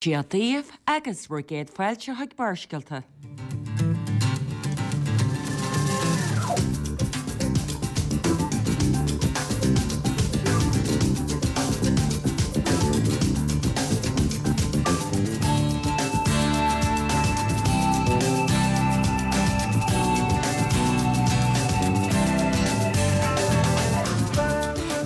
Dia daoibh agus bhur gcéad fáilte chuig Barrscéalta.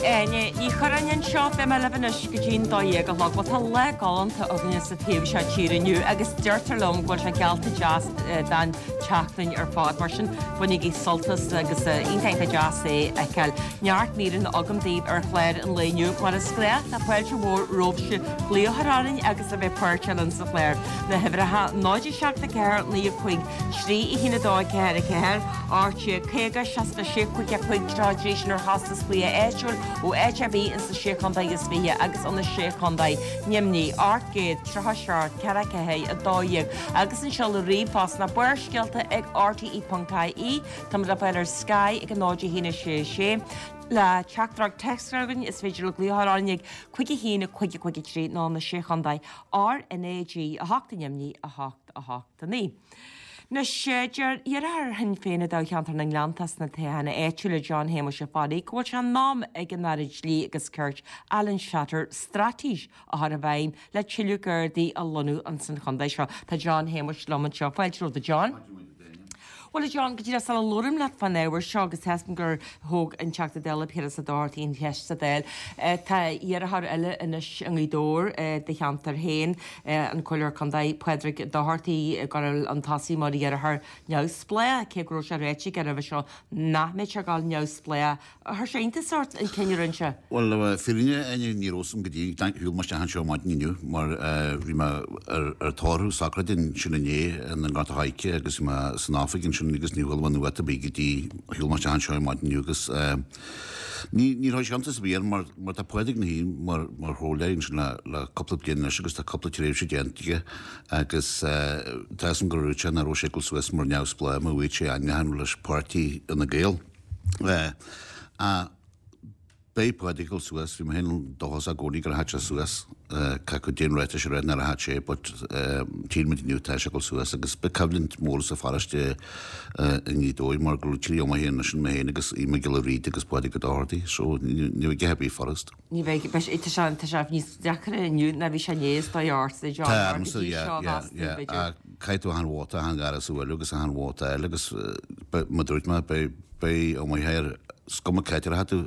Áine Ní Churráin anseo, beidh mé libh anois go dtí'n 12 a chlog. Bhuel tá lá galánta againne sa taobh seo tíre inniu agus deirtear liom go bhfuil sé geallta deas don tseachtain ar fad. Mar sin bainigí sult as agus iontach iontach deas é a fheiceáil. Neart míreanna agam daoibh ar chlár an lae inniu. Mar is gnách tá fáilte mhór romhaibhse glaoch a chur orainn agus a bheith páirteach linn sa chlár. Na huimhreacha 0 7 4 9 5 3 1 2 4 4 18 50 66 5 5 33 sin ar chostas glaoch áitiúil ó áit ar bith ins na Sé Chontae is 20 agus ó na Sé Chontae, Nimhní, 837 4 4 12 agus an seoladh ríomhphost ná barrscéalta ag rte.ie. Táimid le fáil ar Sky ag 0 1 6 6. Le teachtaireacht téacs a chur chugainn is féidir libh glaoch a chur orainn ag 5 1 5 5 3 nó na Sé Chontae RnaG 8 i nDoimní 8 8 9. Anois, deir iarrthóir Shinn Féin i dtoghcheantar na nGleanntach sna toghcháin áitiúla John Shéamuis Ó Fearraigh go bhfuil sé in am ag an Aire Dlí agus Cirt Alan Shatter straitéis a chur i bhfeidhm le tuilleadh Gardaí a lonnú ins an chontae seo. Tá John Shéamuis liom anseo. Fáilte romhat a John. Bhuel a John, go díreach sula labhraím leat fán ábhar seo agus tá a fhios agam gur thóg an Teachta Dála Piaras Ó Dochartaigh an cheist sa Dáil, tá iarrthóir eile anois i nGaoth Dobhair i do cheantar féin, an Comhairleoir Contae Pádraig Dochartaigh ag gabháil chun tosaigh mar iarrthóir neamhspleách, cé go raibh sé ráite aige roimhe seo nach mbeadh sé ag gabháil neamhspleách. Chuir sé iontas ort an cinneadh a rinne sé? Bhuel, le fírinne a Áine, ní raibh a fhios agam go dtí go shiúil mé isteach anseo maidin inniu mar bhí mé ar tórramh socraide ansin inné i nGort a' Choirce agus bhí mé san oifig ansin agus ní chuala mé nuacht ar bith go dtí shiúil mé isteach anseo maidin inniu agus ní ní raibh sé iontas ar bith orm mar mar tá Pádraig ina shuí mar mar chomhairleoir ansin le le cúpla bliain anois agus tá cúpla tréimhse déanta aige agus tá a fhios agam gur dhúirt sé nach raibh sé ag dul suas mar neamhspleách má bhí sé ainmnithe leis páirtí Fhine Gael. Ach beidh Pádraig ag dul suas, bhí mé féin dóchasach i gcónaí go rachadh sé suas, caithfidh déan ráitis a rá nach rachadh sé but tchíonn muid inniu tá sé ag dul suas agus beidh coimhlint mhór sa pharóiste i nGaoth Dobhair mar go bhfuil trí iomaithe anois, mé féin agus Aodh Mac Giolla Bhríde agus Pádraig Ó Dochartaigh so ní bheidh a dhath ar bith furast. Ní bheidh, beidh sé, tá sé, tá sé níos deacra inniu ná bhí sé inné is dóigh ort, a John, Tá, go dtí seo mheas tú b'fhéidir. Caithfidh tú achan vóta, achan gharras a bhualadh agus achan vóta a fháil agus mar a dúirt mé beidh, Beidh iomaíocht is cuma cá háit a rachaidh tú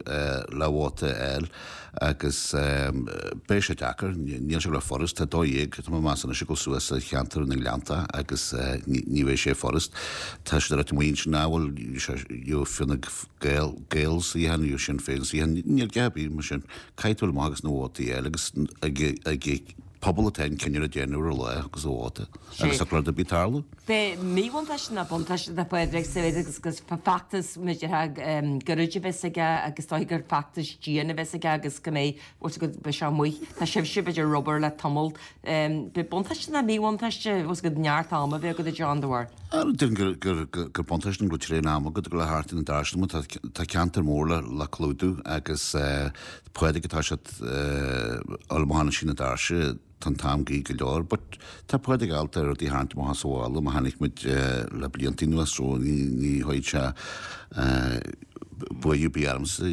le vóta a fháil agus beidh sé deacair, níl sé le furast, tá 12, tá mé ag meas anois ag dul suas sa cheantar na nGleannta agus ní bheidh sé furast. Tá siad ag ráit amuigh ansin ah bhuel you Fine Gael, Gael suíochán, you Sinn Féin suíochán, níl a dhath ar bith mar sin. Caithfidh tú dul amach agus na vótaí a fháil agus ag pobal atá an cinneadh le déanamh ar an lá agus a vóta agus tá rud ar bith tarlú. Beidh míbhuntáiste ná buntáiste do Phádraig sa mhéid agus gur feachtas measartha gairid a bheas aige agus is dóigh gur feachtas dian a bheas aige agus go mbeidh, bhfuil 's agat, beidh sé amuigh. Tá sibhse b'fhéidir ag obair le tamall. Beidh buntáiste ná míbhuntáiste, bhfuil 's agat, neart ama a bheith agat a John dá bharr. Déarfainn gur gur buntáiste go bhfuil tréan ama agat ag dul thart ar na doirse mar tá ceantar mór le clúdú agus Pádraig atá siad ullmhúchán na doirse Tá an t-am gaoth go leor but tá Pádraig ábalta rudaí a tharraingt amach as a mhála mar chonaic muid le blianta anuas so ní ní chuirfidh sé buaireamh ar bith ormsa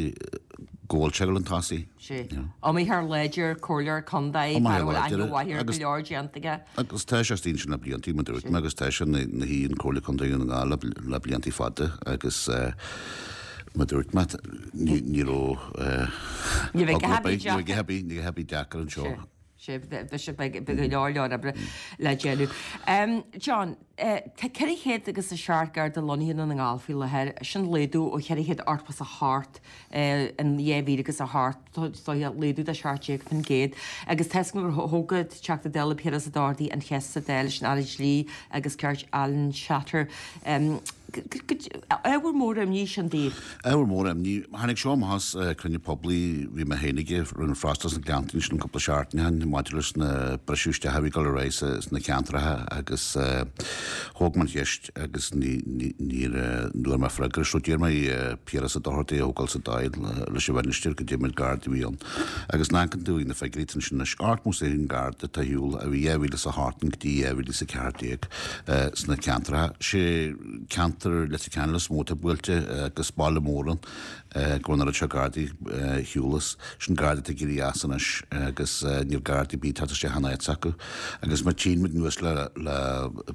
go bhfuil sé ag dul chun tosaigh. Sea. Iomaitheoir láidir, comhairleoir contae, fear a bhfuil aithne mhaith ar go leor déanta aige. Agus tá sé istigh ansin le blianta, mar dúirt mé, agus tá sé ina shuí in Comhairle Contae Dhún na nGall le blianta fada agus mar dúirt mé, ní raibh Ní bheidh a dhath ar bith deacair anseo. Sea, beidh go leor leor oibre le déanamh. John, tá 400 agus 7 Garda lonnaithe i nDún na nGall faoi láthair, sin laghdú ó 488 in 2008, is dóiche laghdú de 17%. Agus tá a fhios agam gur thóg an Teachta Dála Piaras Ó Dochartaigh an cheist sa Dáil leis an Aire Dlí agus Cirt Alan Shatter. Ábhar mór imní sin daoibh. Ábhar mór imní. Tháinig seo amach as cruinniú poiblí bhí mé féin ag rinne freastal sna Gleanntaí ansin cúpla seachtain ó shin maidir leis na briseadh isteach a bhí ag dul ar aghaidh sna ceantracha agus thóg mé an cheist agus níor bhfuair mé freagra so d'iarr mé Piaras Ó Dochartaigh a thógáil sa Dáil leis an Mhinistir goidé méid Gardaí a bhí ann agus ná amharcann tú ag na figiúirí tá ansin anois 81 Garda atá ar shiúl a bhí 2008 go dtí 2014 sna ceantracha. Sé ceantar Leitir Ceanainn is mó atá buailte agus baile mór ann go bhfuil an oiread seo Gardaí ar shiúl as. Sin Gardaí atá ag éirí as anois agus níl Gardaí ar bith ag teacht isteach in áit s'acu. Agus má tchíonn muid anuas le le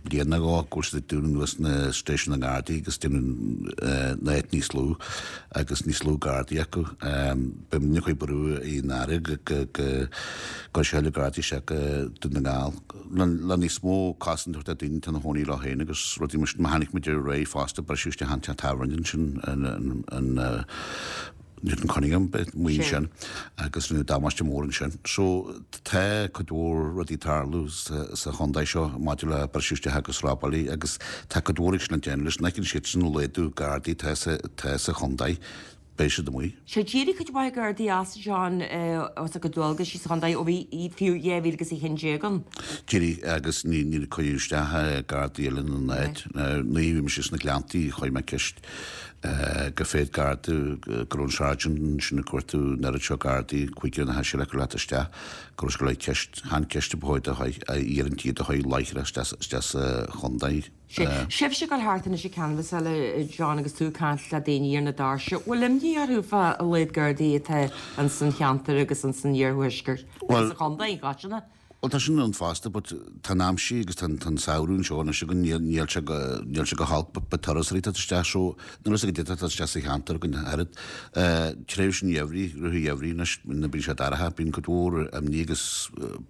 bliain nó dhó go bhfuil siad ag dúnadh anuas na stáisiúin na nGardaí agus déanamh na áit níos lú agus níos lú Gardaí acu. Beidh muidne ag cur brú ar an Aire go go go gcuirfidh sé a thuilleadh Gardaí isteach go Dún na nGall. Le níos mó cosaint a thabhairt do daoine atá ina chónaí leo féin agus rudaí mar sin. Má chonaic muid aréir fosta briseadh isteach an teach tábhairne ansin in Newton Cunningham amuigh ansin agus rinneadh damáiste mór ansin. So tá cuid mhór rudaí ag tarlú sa chontae seo maidir le briseadh isteach agus robálaí agus tá cuid mhór ag sin le déanamh leis. An fheiceann siadsan an laghdú gardaí atá sa chontae. beidh siad amuigh. Sea, d'éirigh cuid mhaith Gardaí as, John, as a gcuid dualgaisí sa chontae ó bhí fiú 2011 ann. D'éirigh agus níor cuireadh isteach Gardaí eile ina n-áit. Nuair a bhí mise sna Gleanntaí chuir mé ceist go féad Garda go raibh an sergeant ansin ag cuartú an oiread seo Gardaí, cúigear nó seisear acu leat isteach, go raibh sé go leith ceist, chan ceist a ba chóir do a iarrann iad a chur láithreach isteach sa chontae. Sea. Sibhse ag dul thart anois ag canbhasáil, a John, agus tú ag caint le daoine ar na doirse, bhfuil imní orthu fá a laghad Gardaí atá ins an cheantar agus ins an iarthuaisceart agus sa chontae i gcoitinne? Bhuel, tá sin ann fosta, but tá an aimsir agus tá an samhradh anseo anois againn, níl sé go, níl sé go holc, but but turasóirí ag teacht isteach, so níl fhios goidé atá ag teacht isteach sa cheantar againn ach oiread. Tréimhse an gheimhridh, rith an gheimhridh anois, nuair a bíonn sé dorcha, bíonn cuid mhór imní agus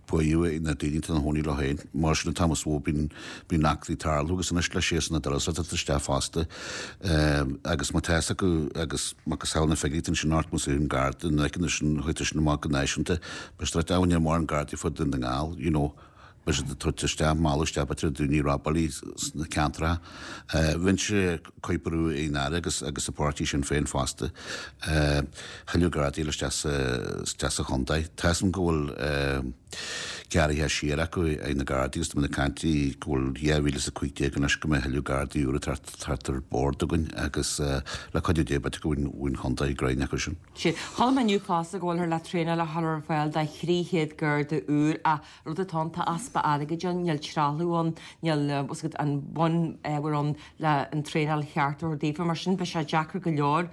buaireamh ag na daoine atá ina chónaí leo féin, mar sin an t-am is mó bíonn Bíonn eachtraí ag tarlú agus anois le séasúr na dturasóirí ag teacht isteach fosta agus má tá fhios acu agus macasamhail na figiúirí ansin ort más ionann Garda na feiceann sin chuid sin amach go náisiúnta beidh siad ag níl mórán Gardaí fud Dhún na nGall you know beidh siad ag tabhairt isteach mealladh isteach b'fhéidir daoine robálaí sna ceantracha. Bheinnse ag cur brú ar an Aire agus agus a páirtí Sinn Féin fosta thuilleadh Gardaí isteach sa isteach sa chontae. Tá fhios agam go bhfuil gearraithe siar acu ag na Gardaí agus tá muid ag caint go bhfuil 2015 anois go mbeidh thuilleadh Gardaí úra ag teacht ar bord againn agus le cuidiú Dé b'fhéidir go bhfuil an chontae greim acu sin. Sea. Chuala mé inniu fosta go bhfuilthear le traenáil a chur ar fáil do 300 Garda úr ach rud atá ann tá easpa airgid ann, níl trealamh ann, níl an bonneagar ann le an traenáil cheart a thabhairt daofa. Mar sin beidh sé deacair go leor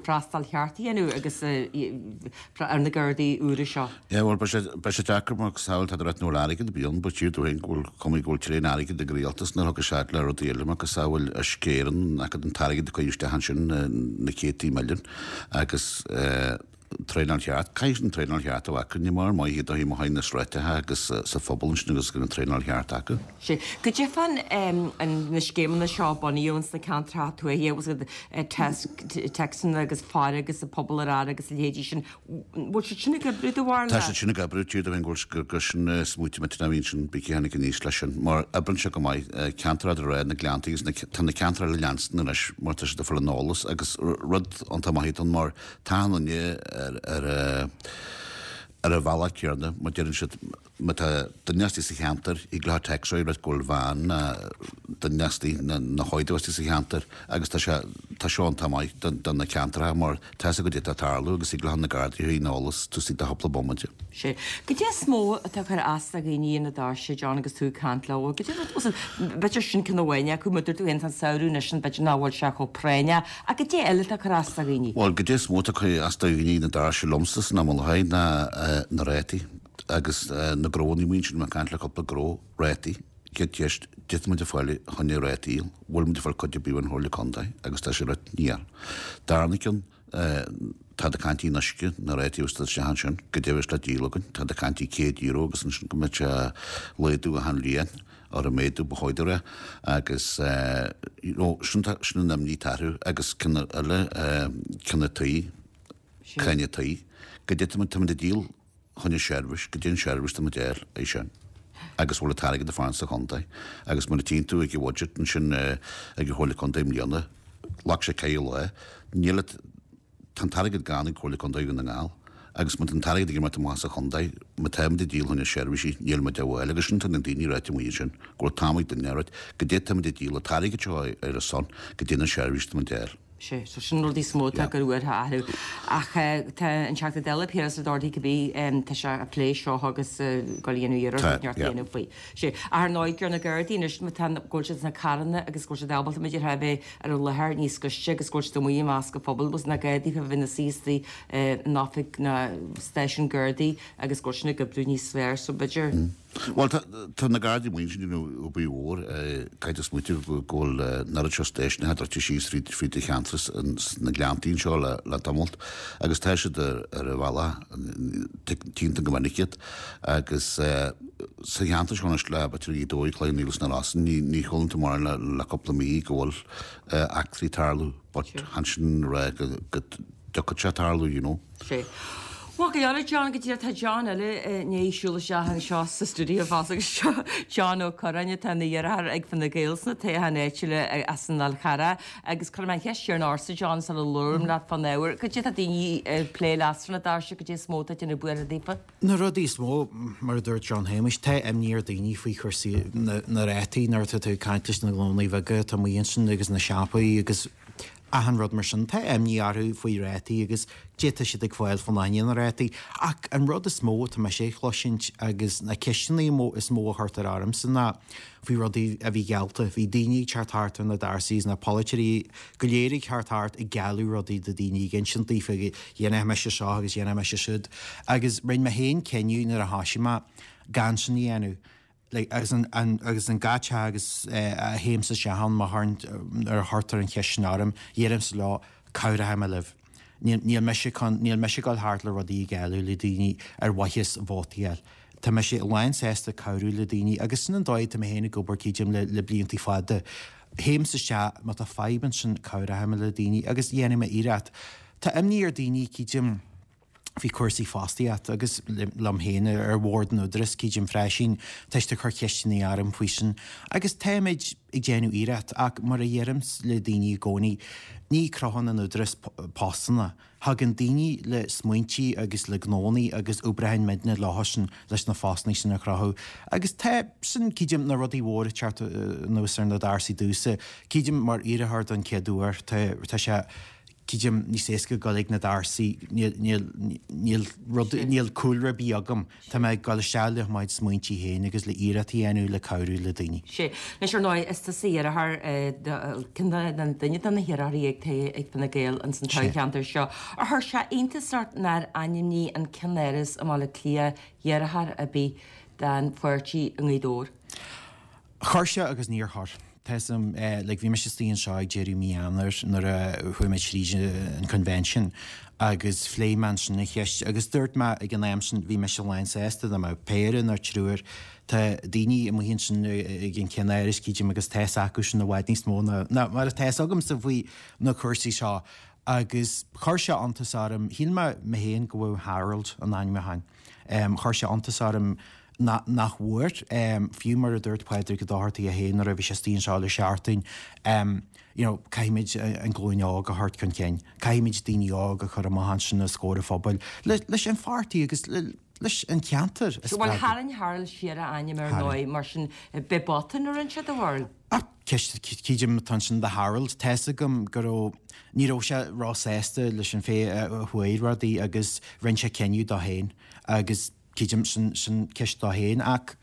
freastal cheart a dhéanamh agus ar na Gardaí úra seo. Yeah, bhuel, beidh sé, beidh sé deacair mar samhail tá tú ag ráit nach bhfuil airgead ar bith ann, but tchítear dom féin go bhfuil, cuma go bhfuil tréan airgid ag an rialtas nuair a thiocfas sé le rudaí eile macasamhail Uisce Éireann, an t-airgead a cuireadh isteach ansin, na céadtaí milliún agus eh, traenáil cheart, caithfidh an traenáil cheart a bheith acu, ní mar maith iad ó thaobh na sráideacha agus sa phobal ansin agus go an traenáil cheart acu. Sea. Goidé fán na scéimeanna seo a bunaíodh ins na ceantracha tuaithe, bhfuil a fhios agat, téacsanna agus faire agus an pobal ar aire agus a leithéidí sin, bhfuil siad sin ag oibriú do bharúil? Tá siad sin ag oibriú, tchítear dom féin go bhfuil gur sin smaointe maith a bhí ansin, bí cé tháinig aníos leis sin, mar oibríonn sé go maith, ceantar eadar Ráth na Gleanntaí agus na, tá na ceantair eile leanstan anois mar tá siad ag fáil an eolas agus rud iontach maith atá ann mar tá an duine ar ar ar an bhealach céanna mar deireann siad má tá duine istigh sa cheantar thig leo téacs a rá go bhfuil veain ná duine istigh ná na hóige istigh sa cheantar agus tá sé tá seo iontach maith do do na ceantracha mar tá fhios acu goidé atá ag tarlú agus thig leo na Gardaí a chur ar an eolas taobh istigh de chúpla bomaite. Sea. Goidé is mó atá ag cur as do dhaoine ar na doirse, John, agus tú ag caint leo? Goidé rud, b'fhéidir sin ceann amháin acu, mar dúirt tú féin, tá an samhradh anois ann, b'fhéidir nach bhfuil sé chomh práinneach, ach goidé eile atá ag cur as do dhaoine? Bhuel, goidé is mó atá ag cur as do dhaoine ar na doirse liomsa san am i láthair ná na rátaí agus na gnónna amuigh ansin, mé ag caint le cúpla gnó, rátaí. Chéad cheist, goidé tá muid ag fáil choinne rátaí, bhfuil muid ag fáil cuid ar bith ón Chomhairle Contae agus tá sé rud níl. Darna ceann, Táid ag caint faoin uisce, na rátaí agus isteach ansin, goidé a bheas le díol againn. Táid ag caint faoi €100 agus ansin go mbeidh sé laghdú achan bhliain, or an méadú ba chóir dó a rá, agus you know sin tá, sin an imní atá orthu agus ceann eile, ceann an tí, cáin an tí, goidé tá muid, tá muid ag díol choinne seirbhís, goidé an seirbhís tá muid a fháil, é sin. agus bhfuil an t-airgead ag fanacht sa chontae. Agus mar a tchíonn tú ag an bhudget ansin ag an Chomhairle Contae i mbliana, ghlac sé ceithre lá, níl an, tá an t-airgead gann ag Comhairle Contae Dhún na nGall agus má tá an t-airgead ag imeacht amach as an chontae, má tá muid ag díol fá choinne seirbhísí, níl muid á bhfáil agus sin tá na daoine ráite amuigh ansin, go bhfuil t-am ag duine a ráit, goidé tá muid ag díol an t-airgead seo ar a son, goidé na seirbhísí tá muid a fháil. Sea, so sin rudaí is mó atá gur uair a athrú. Ach tá an Teachta Dála Piaras Ó Dochartaigh cibé, tá sé ag plé seo agus ag goil a dhéanamh iarracht neart a dhéanamh faoi. Sea, ach ar ndóigh, gur na Gardaí anois, má tá, go bhfuil siad sna carranna agus go bhfuil siad ábalta, b'fhéidir, a bheith ar an láthair níos gaiste agus go bhfuil siad amuigh i measc an phobail, agus na Gardaí a bheith ina suí istigh in oifig na stáisiún Gardaí agus go bhfuil sin ag oibriú níos fearr, so b'fhéidir. Bhuel, tá na Gardaí amuigh ansin ag déanamh obair mhór. Caithfidh tú smaoitiú go bhfuil an oiread seo stáisiúnacha druidte síos fríd an cheantar sna Gleanntaí anseo le tamalt agus tá siad ar an bhealach, tchíonn tú go minic iad agus sa cheantar seo anois le b'fhéidir Gaoth Dobhair, Cloich Cheann Fhaola is na Rosann, ní chualann tú mórán le cúpla mí go bhfuil eachtraí ag tarlú but chan sin a rá go dtiocfadh sé tarlú, you know. Sea. Bhuel, go leor, John, go díreach, tá John eile i ndiaidh siúl isteach anseo sa stiúideo fosta agus seo John Ó Curráin atá ina iarrthóir ag Fine Gael sna toghcháin áitiúla as an Fhál Charrach agus cuirfidh mé an cheist chéanna ortsa, John, sula labhraím leat fán ábhar. Cad é tá daoine ag plé leat sna doirse, cad é is mó atá ag déanamh buartha daofa? Na rudaí is mó, mar a dúirt John Shéamuis, tá imní ar daoine faoi chúrsaí na rátaí nuair atá tú ag caint leis na gnónnaí bheaga atá amuigh ansin agus na siopaí agus achan rud mar sin. Tá imní orthu faoi rátaí agus goidé atá siad ag fáil fá choinne na rátaí. Ach an rud is mó atá mise ag chloisint agus na ceisteanna is mó a chuirtear ormsa ná faoi rudaí a bhí geallta. Bhí daoine ag teacht thart ar na doirse is na polaiteoirí go léir ag teacht thart ag gealladh rudaí do daoine, ag insint daofa dhéanfaidh mise seo agus dhéanfaidh mise siúd. Agus rinne mé féin cinneadh nuair a thoisigh mé gan sin a dhéanamh. like agus an an agus an gach teach agus a théimse isteach ann má chuireann nuair a chuirtear an cheist sin orm, deirimse leo, cabhróidh mé libh. Níl níl mise chun níl mise ag dul thart le rudaí a ghealladh le daoine ar mhaithe vótaí a fháil. Tá mise lán sásta cabhrú le daoine agus sin an dóigh atá mé féin ag obair creidim le le bliantaí fada. Théimse isteach má tá fadhb ansin cabhróidh mé le daoine agus dhéanfaidh mé iarracht. Tá imní ar daoine creidim faoi chúrsaí fostaíochta agus liom féin ar bhord an Údaráis, creidim freisin, tá siad ag cur ceisteanna orm faoi sin agus táimid ag déanamh iarracht ach mar a dheirim le daoine i gcónaí, ní chruthaíonn an Údarás postanna. Thagann daoine le smaointí agus le gnónnaí agus oibreoidh muidne leo sin leis na postanna sin a chruthú agus tá sin, creidim, na rudaí mhóra ag teacht anuas ar na doirse domhsa, creidim, mar iarrthóir don chéad uair, tá sé. Creidim, níos éasca dul ag na doirse, níl, níl, níl rud, níl cúlra ar bith agam. Tá mé ag dul isteach le mo chuid smaointí féin agus le iarracht a dhéanamh le cabhrú le daoine. Sea. Anois, ar ndóigh, is tusa iarrthóir, ceann de, duine de na hiarrthóirí ag, ag Fine Gael ins an toghcheantar seo. Ar chuir sé iontas ort nár ainmnigh an ceannáras i mBaile Átha Cliath iarrthóir ar bith don pháirtí i nGaoth Dobhair? Chuir sé agus níor chuir. Tá 'fhios a'm, like, bhí mise istigh anseo ag deireadh mí Eanáir nuair a chuaigh mé tríd an convention agus phléigh mé ansin an cheist agus dúirt mé ag an am sin bhí mise lán sásta dá mbeadh péire nó triúr. Tá daoine amuigh ansin ag an ceannáras creidim agus tá 'fhios acu sin i bhfad níos mó ná mar atá 'fhios agamsa faoi na cúrsaí seo agus chuir sé iontas orm, shíl mé mé féin go bhfaigheadh Harold an ainmniúchán. Chuir sé iontas orm nach bhfuair, fiú mar a dúirt Pádraig Ó Dochartaigh é féin nuair a bhí sé istigh anseo le seachtain, you know, caithfimid an ghlúin óg a thabhairt chun cinn, caithfimid daoine óga a chur amach ansin os comhair an phobail leis an pháirtí agus leis an cheantar a spreagadh. Bhuel, tharraing Harold siar a ainm ar ndóigh, mar sin, b'é botún a rinne sé, do bharúil? Ach ceist, creidim, atá ansin do Harold. Tá's agam go raibh, ní raibh sé ró-sásta leis an fhéith a chuaigh rudaí agus rinne sé cinneadh dó féin agus creidim, sin, sin ceist dó féin ach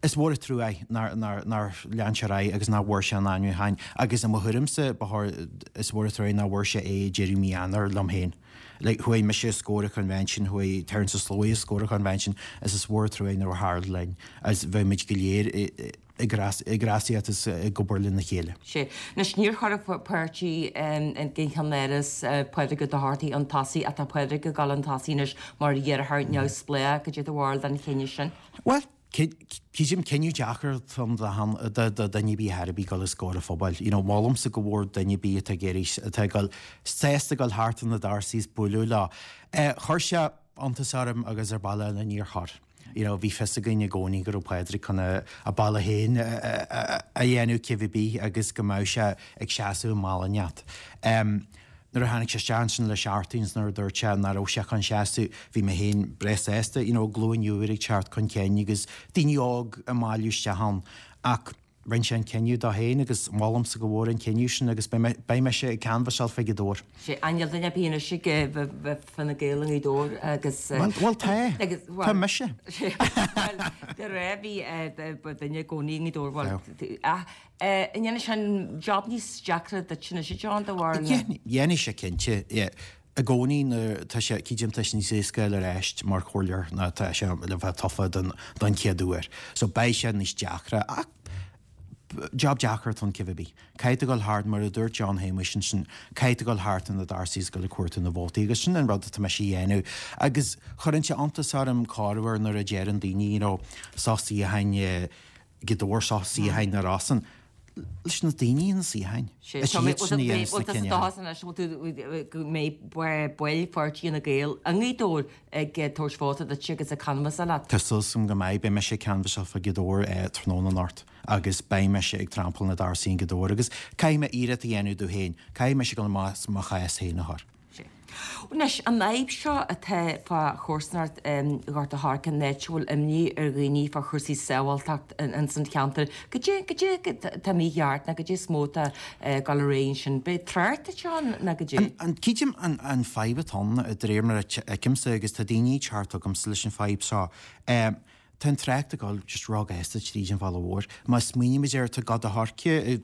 is mhór an trua é nár, nár, nár lean sé ar aghaidh agus nach bhfuair sé an ainmniúchán agus i mo thuairimse ba chóir, is mhór an trua é nach bhfuair sé é ag deireadh mí Eanáir liom féin. Like, chuaigh mise os comhair an convention, chuaigh Terence Ó Sluaighe os comhair an convention is is mhór an trua é nach raibh Harold linn agus bheadh muid go léir i, i, ag rásaíocht is ag obair lena chéile. Sea. Anois, níor chuir an páirtí den cheannáras Pádraig Ó Dochartaigh chun tosaigh ach tá Pádraig ag dul chun tosaigh anois mar iarrthóir neamhspleách. Cad é do bharúil den chinneadh sin? Bhuel, creidim, cinneadh deacair atá ann do dhuine ar bith ar bith dul os comhair an phobail. You know, molaimse go mhór duine ar bith atá ag iarraidh, atá ag dul, sásta dul thart ar na doirse is bualadh leo. Chuir sé iontas orm agus ar ball eile níor chuir. You know, bhí fios againn i gcónaí go raibh Pádraig chun a bealach féin a dhéanamh cibé ar bith agus go mbeadh sé ag seasamh i mbealach inteacht. Nuair a tháinig sé isteach ansin le seachtain is nuair a dúirt sé nach raibh sé chun seasamh, bhí mé féin breá sásta, you know, glúin úr ag teacht chun cinn agus daoine óg ag bailiú isteach ann. Ach rinne sé an cinneadh dó féin agus molaimse go mhór an cinneadh sin agus beidh mise ag canbhasáil fá Ghaoth Dobhair. Sé, an níl duine ar bith anois ag bheith Fine Gael i nGaoth Dobhair agus. Bhuel, tá. Tá mise. Bhuel, de réir bhí duine i gcónaí i nGaoth Dobhair, bhuel, ach an ndéanfaidh sé an job níos deacra duit anois, a John, de bharr na. Dhéanfaidh sé cinnte, yeah. I gcónaí nuair tá sé, creidim tá sé níos éasca fháil ar ais mar chomhairleoir ná tá sé le bheith tofa don don chéad uair. So beidh sé níos deacra ach job deacair atá ann cibé ar bith. Caithfidh tú dul thart, mar a dúirt John Shéamuis ansin, caithfidh tú dul thart ar na doirse is dul ag cuartú na vótaí agus sin an rud atá mise a dhéanamh. Agus chuireann sé iontas orm corruair nuair a deireann daoine, you know, seo suíocháin Ghaoth Dobhair seo suíocháin na Rosann. Leis na daoine na suíocháin. Is iad sin a dhéanas na cinneadh. Bhfuil go mbeidh baill pháirtí Fhine Gael i nGaoth Dobhair ag tabhairt vóta duit agus ag canbhasáil leat? Tá súil agam go mbeidh. Beidh mise ag canbhasáil fá Ghaoth Dobhair tráthnóna anocht agus beidh mise ag trampáil na doirse i nGaoth Dobhair agus caithfidh mé iarracht a dhéanamh domh féin. Caithfidh mise dul amach as mo chás féin a chur. Sea. Anois, an fhadhb seo atá fá chomharsanacht Ghort a' Choirce, an áit a bhfuil imní ar dhaoine fá chúrsaí sábháilteacht ins an cheantar, goidé, goidé atá mícheart nó goidé is mó atá ag dul ar aghaidh ansin? Ab é trácht atá ann nó goidé? An, creidim an, an fadhb atá ann, de réir mar a fheicimse, agus tá daoine ag teacht chugamsa leis an fadhb seo, Tá an trácht ag dul just róghasta tríd an bhaile mhór. Má smaoinímid air, tá Gort a' Choirce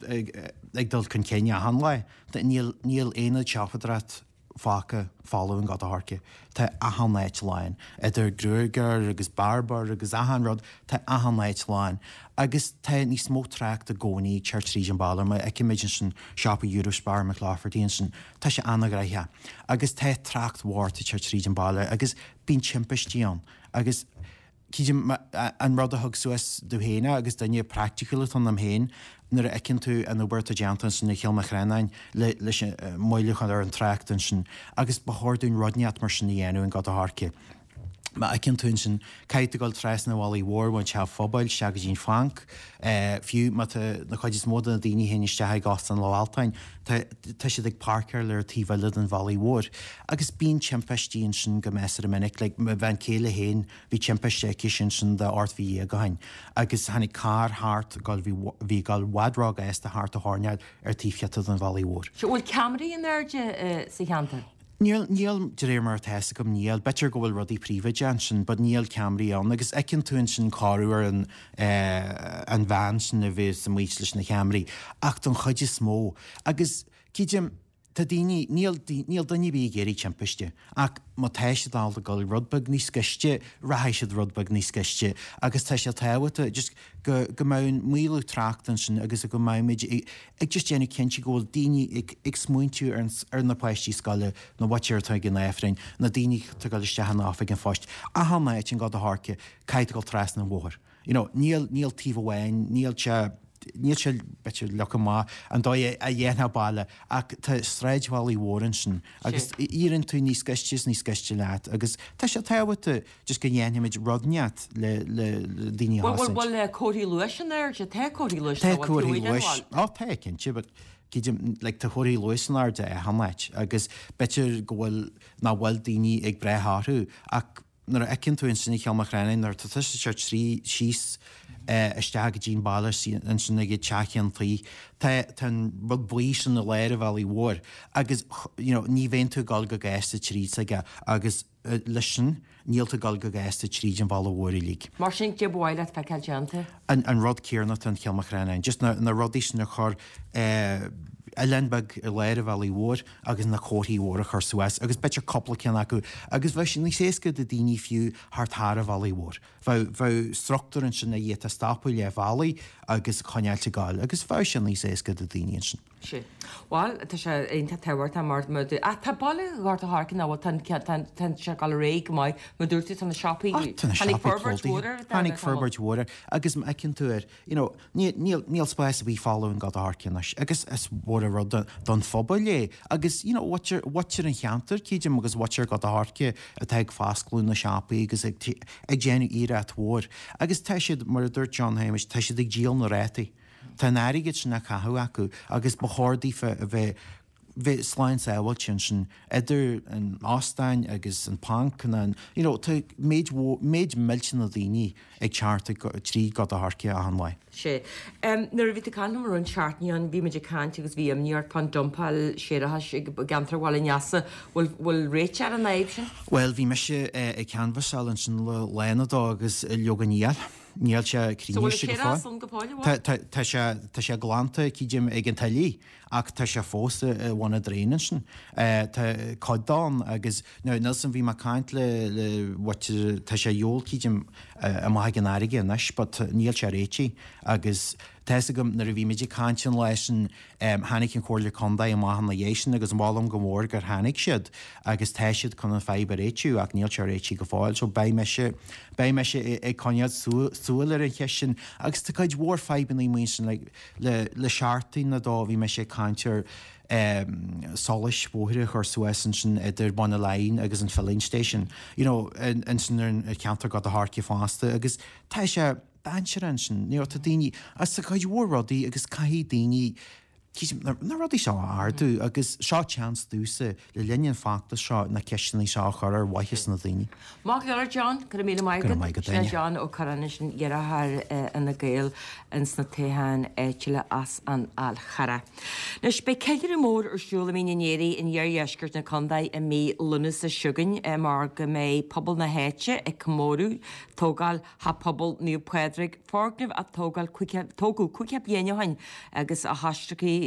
ag dul chun cinn achan lá. Níl níl aonad siopadóireacht fágtha folamh in Gort a' Choirce. Tá achan áit lán. Idir gruagaire agus beárbair agus achan rud, tá achan áit lán. Agus tá níos mó trácht i gcónaí ag teacht tríd an baile. Má fheicimid ansin siopa Eurospar McClafferty ansin, tá sé an-ghnóthach. Agus tá trácht mhór ag teacht tríd an baile agus bíonn timpistí ann. Agus creidim, an rud a thug suas domh féin é, agus duine praiticiúil atá ionam féin, nuair a fheiceann tú an obair atá déanta ansin i Chill Mhanchrannáin le, leis an moill a chur ar an trácht ansin, agus ba chóir dúinn rud inteacht mar sin a dhéanamh in Gort a' Choirce. Má fheiceann tú ansin, caithfidh tú dul trasna an Bhealaigh Mhóir ón Teach Phobail isteach go dtí an bhanc, fiú má tá na cuid is mó de na daoine a théann isteach ag Óstán Loch Altáin, Tá, tá siad ag páirceáil ar an taobh eile den bhealaigh mhóir. Agus bíonn timpistí ansin go measartha minic. Like, mo bhean chéile féin, bhí timpiste aici ansin de 18 mhí ó shin. Agus tháinig carr thart, ag dul, bhí, bhí ag dul i bhfad róghasta thart an choirnéal ar taobh thiar den bhealaigh mhóir. Sea, bhfuil ceamaraí in airde sa cheantar? Níl, níl, de réir mar atá fhios agam, níl. B'fhéidir go bhfuil rudaí príobháideach ansin, but níl ceamaraí ann. Agus fheiceann tú ansin corruair an, eh, an bhean sin a bheas amuigh leis na ceamaraí. Ach don chuid is mó, agus creidim, tá daoine, níl, níl duine ar bith ag iarraidh timpiste, ach má tá siad ábalta dul rud beag níos gaiste, rachaidh siad rud beag níos gaiste. Agus tá sé tábhachtach just go, go mbeadh an maolú tráchta ansin agus go mbeimid ag, ag just déanamh cinnte go bhfuil daoine ag ag smaointiú ar ar na páistí scoile, na mhuintir atá ag an Aifreann, na daoine atá ag dul isteach in oifig an phoist, achan áit in Gort a' Choirce, caithfidh tú dul trasna an bhóthair. You know, níl níl taobh amháin, níl sé níl sé b'fhéidir leagtha amach an dóigh a dhéanfá baile ach tá sráidbhaile mhór ansin agus éiríonn tú níos gaiste is níos gaiste leat agus tá sé tábhachtach Just go ndéanfaimid rud inteacht le le daoine a Bhfuil chosaint. bhfuil comharthaí luais in airde? Tá comharthaí luais Tá comharthaí luais, ó tá cinnte, but creidim, like tá comharthaí luais in airde achan áit agus b'fhéidir go bhfuil, nach bhfuil daoine ag brath orthu ach nuair a fheiceann tú ansin i Chill Mhanchrannáin nuair atá tusa ag teacht trí síos isteach go dtí an baile ansin ag an teach cheann tuí, tá tá an rud buí sin i lár an bhealaigh mhóir agus you know ní bheidh tú ag dul go gasta tríd s'aige agus Leis sin, níl tú ag dul go gasta tríd an bhaile mhór uilig. Mar sin, cad é ba mhaith leat feiceáil déanta? An rud céanna atá in Chill Mhanchrannáin. Just na rudaí sin a chur, oileán beag i lár an bhealaigh mhóir agus na comharthaí mhóra a chur suas agus b'fhéidir cúpla ceann acu agus bheadh sé níos éasca do daoine fiú theacht thar an bhealaigh mhór. Bheadh, bheadh struchtúr ansin a d'fhéadfá stopadh leath bhealaigh agus coinneáilt ag gabháil agus bheadh sé níos éasca do daoine ansin. Sea. Bhuel, tá sé iontach tábhachtach mar mar dú-. Ach tá baile Ghort a' Choirce ná bhfuil, tá an tá an tá sé ag dul ar aghaidh go maith. Mar dúirt tú, tá na siopaí, Ah, tá na tháinig siopaí forbairt plódaithe. mhór air Tháinig forbairt mhór air. Agus má fheiceann tú air, you know, níl, níl, níl spás ar bith folamh in Gort a' Choirce anois. Agus is mhór an. rud don phobal é agus you know mhuintir, mhuintir an cheantair creidim agus mhuintir Ghort a' Choirce atá ag foscladh na siopaí agus ag ag déanamh iarracht mhór agus tá siad, mar a dúirt John Shéamais, tá siad ag díol na rátaí. Tá an airgead sin á chaitheamh acu agus ba chóir daofa a bheith bheith slán sábháilte ansin idir an óstán agus an banc nó an, you know, tá méid mhór, méid millteanach daoine ag teacht ag, trí Gort a' Choirce achan lá. Sea. Nuair a bhí tú ag caint liom roinnt seachtainí ó shin, bhí muid ag caint agus bhí imní ort fán dumpáil séarachais i gceantar Bhaile an Easa. Bhfuil, bhfuil réiteach ar an fhadhb sin? Bhuel, bhí mise ag canbhasáil ansin le lá nó dó agus leoga níl. Níl sé So bhfuil an séarachas ann go fóill, an bhfuil? Tá, tá sé, tá sé glanta, creidim, ag an tuile. Ach tá sé fós i bhun an draein ansin. Tá cuid de ann agus now níl 's a'm bhí mé ag caint le le mhuintir tá sé ar shiúl creidim amach ag an fharraige anois but níl sé réitithe agus tá 'fhios agam nuair a bhí muid ag caint an lá sin tháinig an Chomhairle Contae amach ina dhiaidh sin agus molaim go mór gur tháinig siad agus tá siad chun an fadhb a réitiú ach níl sé réitithe go fóill so beidh mise beidh mise ag coinneáil súil ar an cheist sin agus tá cuid mhór fadhbanna amuigh ansin like Le le seachtain nó dó bhí mise ag caint ar solais bhóithre a chur suas ansin idir Bun an Laighin agus an filling station, you know, ansin ar an cheantar Gort a' Choirce fosta agus tá sé dainséarach ansin, you know, tá daoine, agus tá cuid mhór rudaí agus caithfidh daoine na rudaí seo a ardú agus seo chance domhsa le linn an feachtas seo na ceisteanna seo a chur ar mhaithe na daoine. Maith go leor John, go raibh míle maith agat. Go raibh maith agat Sin é John Ó Curráin ansin, iarrthóir Fhine Gael ins na toghcháin áitiúla as an Fhál Charrach. Anois beidh ceiliúradh mór ar siúl i Mín an Aoraigh in iardheisceart na contae i mí Lúnasa seo chugainn mar go mbeidh pobal na háite ag comóradh tógáil Theach Pobail Naomh Pádraig, foirgneamh a tógáil tógadh 50 bliain ó shin agus a coisriceadh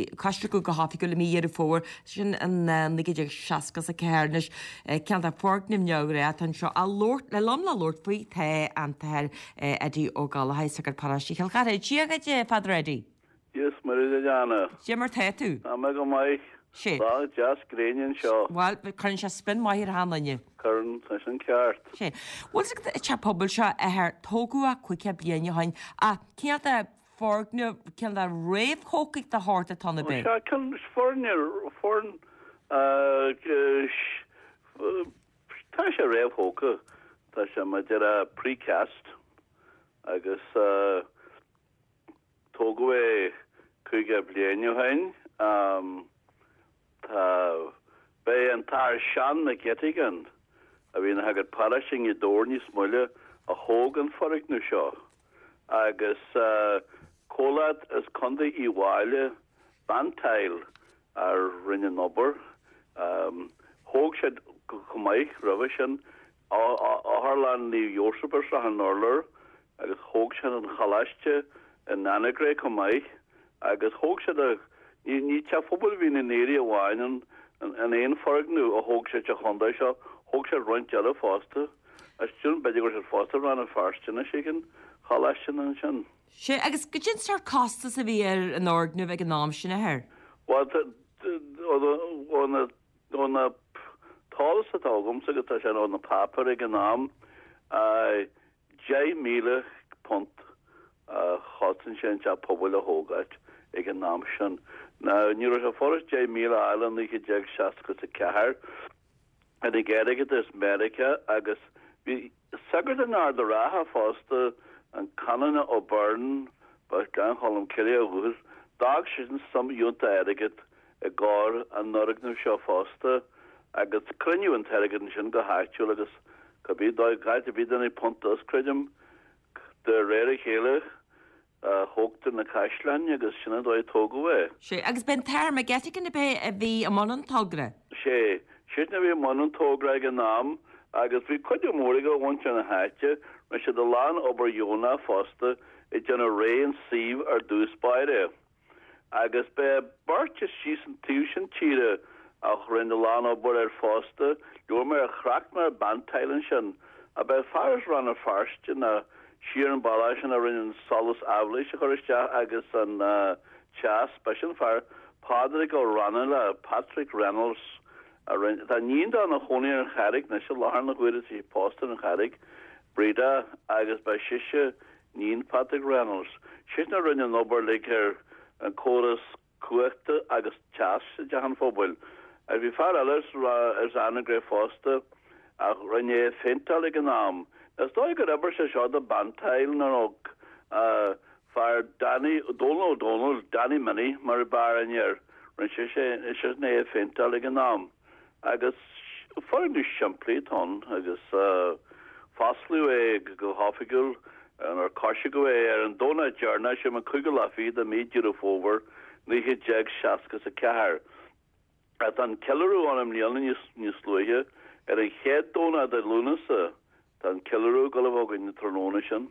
go hoifigiúil i mí Dheireadh Fómhair sin in 1964. Anois, cineál de foirgneamh neamhghnách atá anseo á labhairt le liom le labhairt faoi tá an tAthair Eddie Ó Gallchóir, Sagart Paróiste Chill Chartha. Dia dhuit, a Father Eddie. Dia is Muire duit, a Anna. Cad é mar tá tú? Tá mé go maith. Sea. Lá deas gréine anseo. Bhuel, cuireann sé spion maith ar achan duine. Cuireann, tá sin ceart. Sea. Bhfuil 's agat an teach pobail seo, a Athair, tógadh é 50 bliain ó shin, ach cineál de foirgneamh, cineál de réamhthógtha de shórt atá ann, ab é? Sea, cineál foirgneamh, foirn, tá sé réamhthógtha, tá sé mar a déarfá precast agus Tógadh é 50 bliain ó shin. Tá, Ba é an tAthair Seán McGettigan, a bhí ina shagart paróiste i nGaoth Dobhair níos moille, a thóg an foirgneamh seo. Agus comhlacht as Contae Uíbh Fhailí, Bantile, a rinne an obair. Thóg siad chomh maith roimhe sin Otharlann Naomh Iósaf ar Srath an Urláir agus thóg siad an Choláiste in Annaghrea chomh maith agus thóg siad a, ní, ní Teach Phobail Mhín an Aoraigh amháin an, an aon foirgneamh a thóg siad sa chontae seo, thóg siad roinnt eile fosta. Is dóigh b'fhéidir go raibh siad fosta i Rann na Feirste anois ag an Choláiste ansin. Sea, agus goidé an sórt costas a bhí ar an fhoirgneamh ag an am sin, a Athair? Bhuel, ó na Ó na t-eolas atá agamsa agus tá sé ó na páipéir ag an am, £10,000 a chosain sé an teach pobail a thógáilt ag an am sin. Now, ní raibh sé furast 10,000 a fháil i 1964. Tháinig airgead as Meiriceá agus bhí Sagart in Ard a' Rátha fosta, an Canónach O'Byrne, ba as Gleann Cholm Cille ó dhúchas, d'fhág seisean suim fhiúntach airgid i gcomhair an fhoirgnimh seo fosta agus cruinníodh an t-airgead ansin go háitiúil agus cibé dóigh, áit a bhí duine punt as, creidim, de réir a chéile. Thógtar na caisleáin agus sin an dóigh a tógadh é. Sea, agus b'é an tAthair McGettigan ab é a bhí i mbun an togra? Sea, seisean a bhí i mbun an togra ag an am agus bhí cuidiú mór aige ó mhuintir na háite. Rinne siad a lán obair dheonach fosta ag déanamh réidh an suíomh ar dtús báire. Agus b'é beirt as síos an taobh sin tíre a rinne a lán obair air fosta, labhair mé ar thrácht mé ar Bantile ansin, ach b'é fear as Rann na Feirste ná siar an bealach sin a rinne an solas aibhléis a chur isteach agus an teas, b'é sin fear Pádraig Ó Raghallaigh, Patrick Reynolds, a rinne, tá iníon dó ina chónaí ar an Charraig anois i láthair na huaire, tá sí pósta ar an Charraig, Breda, agus b'é sise Iníon Patrick Reynolds. Seisean a rinne an obair uilig ar an córas. Cumhachta agus Teas i dTeach an Phobail. Agus bhí fear eile as Anagaire fosta a rinne é a phéinteáil ag an am. Is dóigh gur oibir sé seo do Bantile nó fear Danny, Dónal Ó Dónaill, Danny Minnie mar a b'fhearr aithne air, rinne sé seisean é a phéinteáil ag an am. Agus foirgneamh simplí atá ann agus fosclaíodh é go hoifigiúil nuair a coisceadh é ar an Domhnach deireanach, sin an cúigiú lá fichead de mhí Deireadh Fómhair 1964. Tá an ceiliúradh ann i mbliana níos luaithe, ar an chéad Domhnach de Lúnasa. Tá an ceiliúradh ag dul a bheith againn an tráthnóna sin.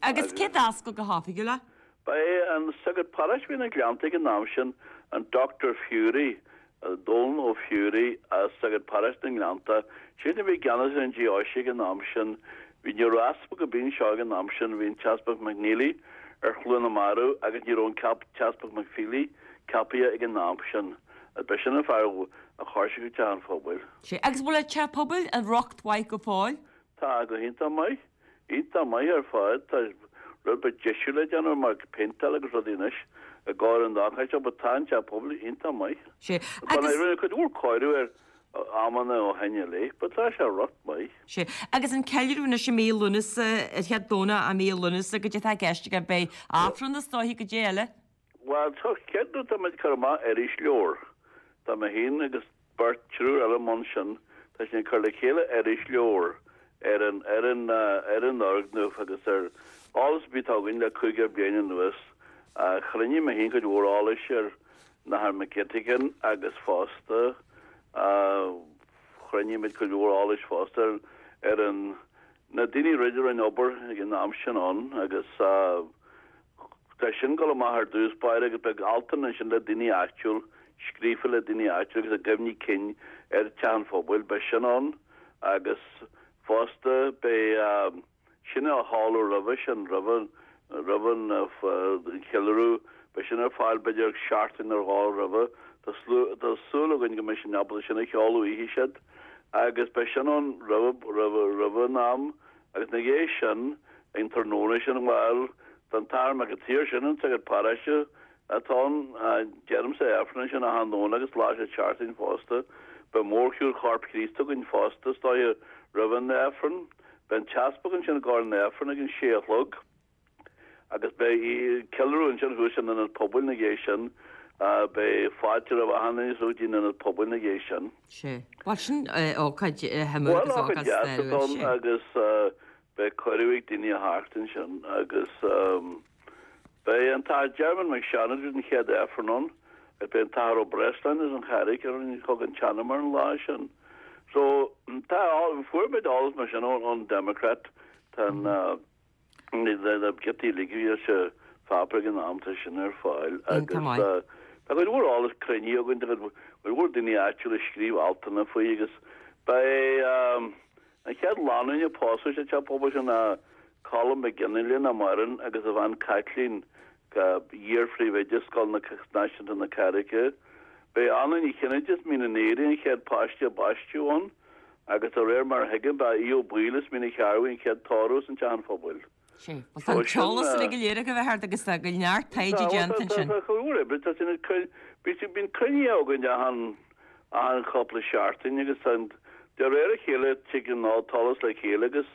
Agus cé d'oscail go hoifigiúil é? Ba é an sagart paróiste a bhí ina Gleanntaigh ag an am sin, an Dr Furey, Dónal Ó Fiúraí, sagart paróiste na nGleanntach. Seisean a bhí i gceannas ar an deoise ag an am sin. Bhí ní raibh easpag ar bith anseo ag an am sin, bhí an tEaspag McNeely ar Chluain na Marbh agus ní raibh an tEaspag McFeely ceapaithe ag an am sin. Ba sin an fear a choisc Teach an Phobail. Sea, agus bhfuil an Teach Pobail i riocht mhaith go fóill? Tá, go hiontach maith. Iontach maith ar fad. Tá rud beag deisiú le déanamh mar péinteáil agus rudaí anois i gcomhair an ócáid seo but tá an Teach Pobail iontach maith. Sea, agus. Rinneadh cuid mhór cóiriú air amanna ó shin i leith but tá sé i riocht maith. Sea, agus an ceiliúradh anois i mí Lúnasa, ar chéad Domhnach i mí Lúnasa, goidé atá i gceist agaibh, beidh Aifreann is dóiche, goidé eile? Bhuel, tá céard tá muid ag cur amach irisleabhar. Tá mé féin agus beirt, triúr eile i mbun sin. Tá sinn ag cur le chéile irisleabhar ar an, ar an, ar an fhoirgneamh agus ar eolas ar bith atá againn le 50 bliain anuas. Chruinnigh mé féin cuid mhór eolais ar an Athair McGettigan agus fosta chruinnigh muid cuid mhór eolais fosta ar, ar an, na daoine a rinne obair ag an am sin ann agus. Tá sin ag dul amach ar dtús báire agus beidh altanna ansin le daoine áitiúil, scríofa le daoine áitiúil agus a gcuimhní cinn ar Teach an Phobail. Beidh sin ann agus fosta beidh sin á sheoladh roimhe sin, roimh roimh an cheiliúradh. Beidh sin ar fáil b'fhéidir seachtain nó dhó roimhe. Tá tá súil againn go mbeidh sinn ábalta sin a sheoladh oíche siad agus beidh sin ann roimh roimh roimh an am. Agus ina dhiaidh sin, ag an tráthnóna sin, bhuel, tá an tAthair Mac an tSaoir sin, an sagart paróiste atá ann, deirimse Aifreann ansin achan Domhnach agus lá sa tseachtain fosta. Beidh mórshiúl Chorp Chríost againn fosta, is dóiche, roimh an Aifreann. Beidh an t-easpag ansin i gcomhair an Aifrinn ag an sé a chlog. Agus beidh ceiliúradh ansin thuas san Ionad Pobail ina dhiaidh sin. Beidh fáilte roimh achan duine go dtí an Ionad Pobail ina dhiaidh sin. Sea. Bhuel sin ócáid shuimiúil agus ócáid stairiúil. Bhuel, ócáid deas atá ann agus beidh cuireadh ag daoine a theacht ansin agus beidh an tAthair Diarmuid Mac Seáin an chéad Aifreann ann agus beidh an tAthair Ó Breasláin as an Charraig ar an thug an téarma ar an lá sin. So tá, fuair muid eolas mar sin ón Democrat, tá an Na giotaí uilig a bhí sa pháipéar ag an am, tá sin ar fáil agus tá cuid mhór eolas cruinnithe againn, tá cuid mhór daoine áitiúla ag scríobh altanna faoi agus ba é an chéad lánúin a pósadh sa teach pobail sin ná Colm Mac Fhionnghaile nach maireann agus a bhean Caitlín, iar-phríomhoide Scoil Náisiúnta na Carraice. Ba é Anna Ní Chinnéide as Mín an Aoraigh an chéad páiste a baisteadh ann. Agus de réir mar a thuigim, ba é Aodh Ó Baoill as Mín an Chearbhaigh an chéad tórramh san Teach an Phobail. Sea. Bhuel, tá an t-eolas uilig go léir agaibh a Third agus tá go neart taighde déanta ansin. Tá, tá, tá, oibre, tá sin ag cur, bíonn cruinnithe againn achan, achan chúpla seachtain agus tá, de réir a chéile tig an t-eolas le chéile agus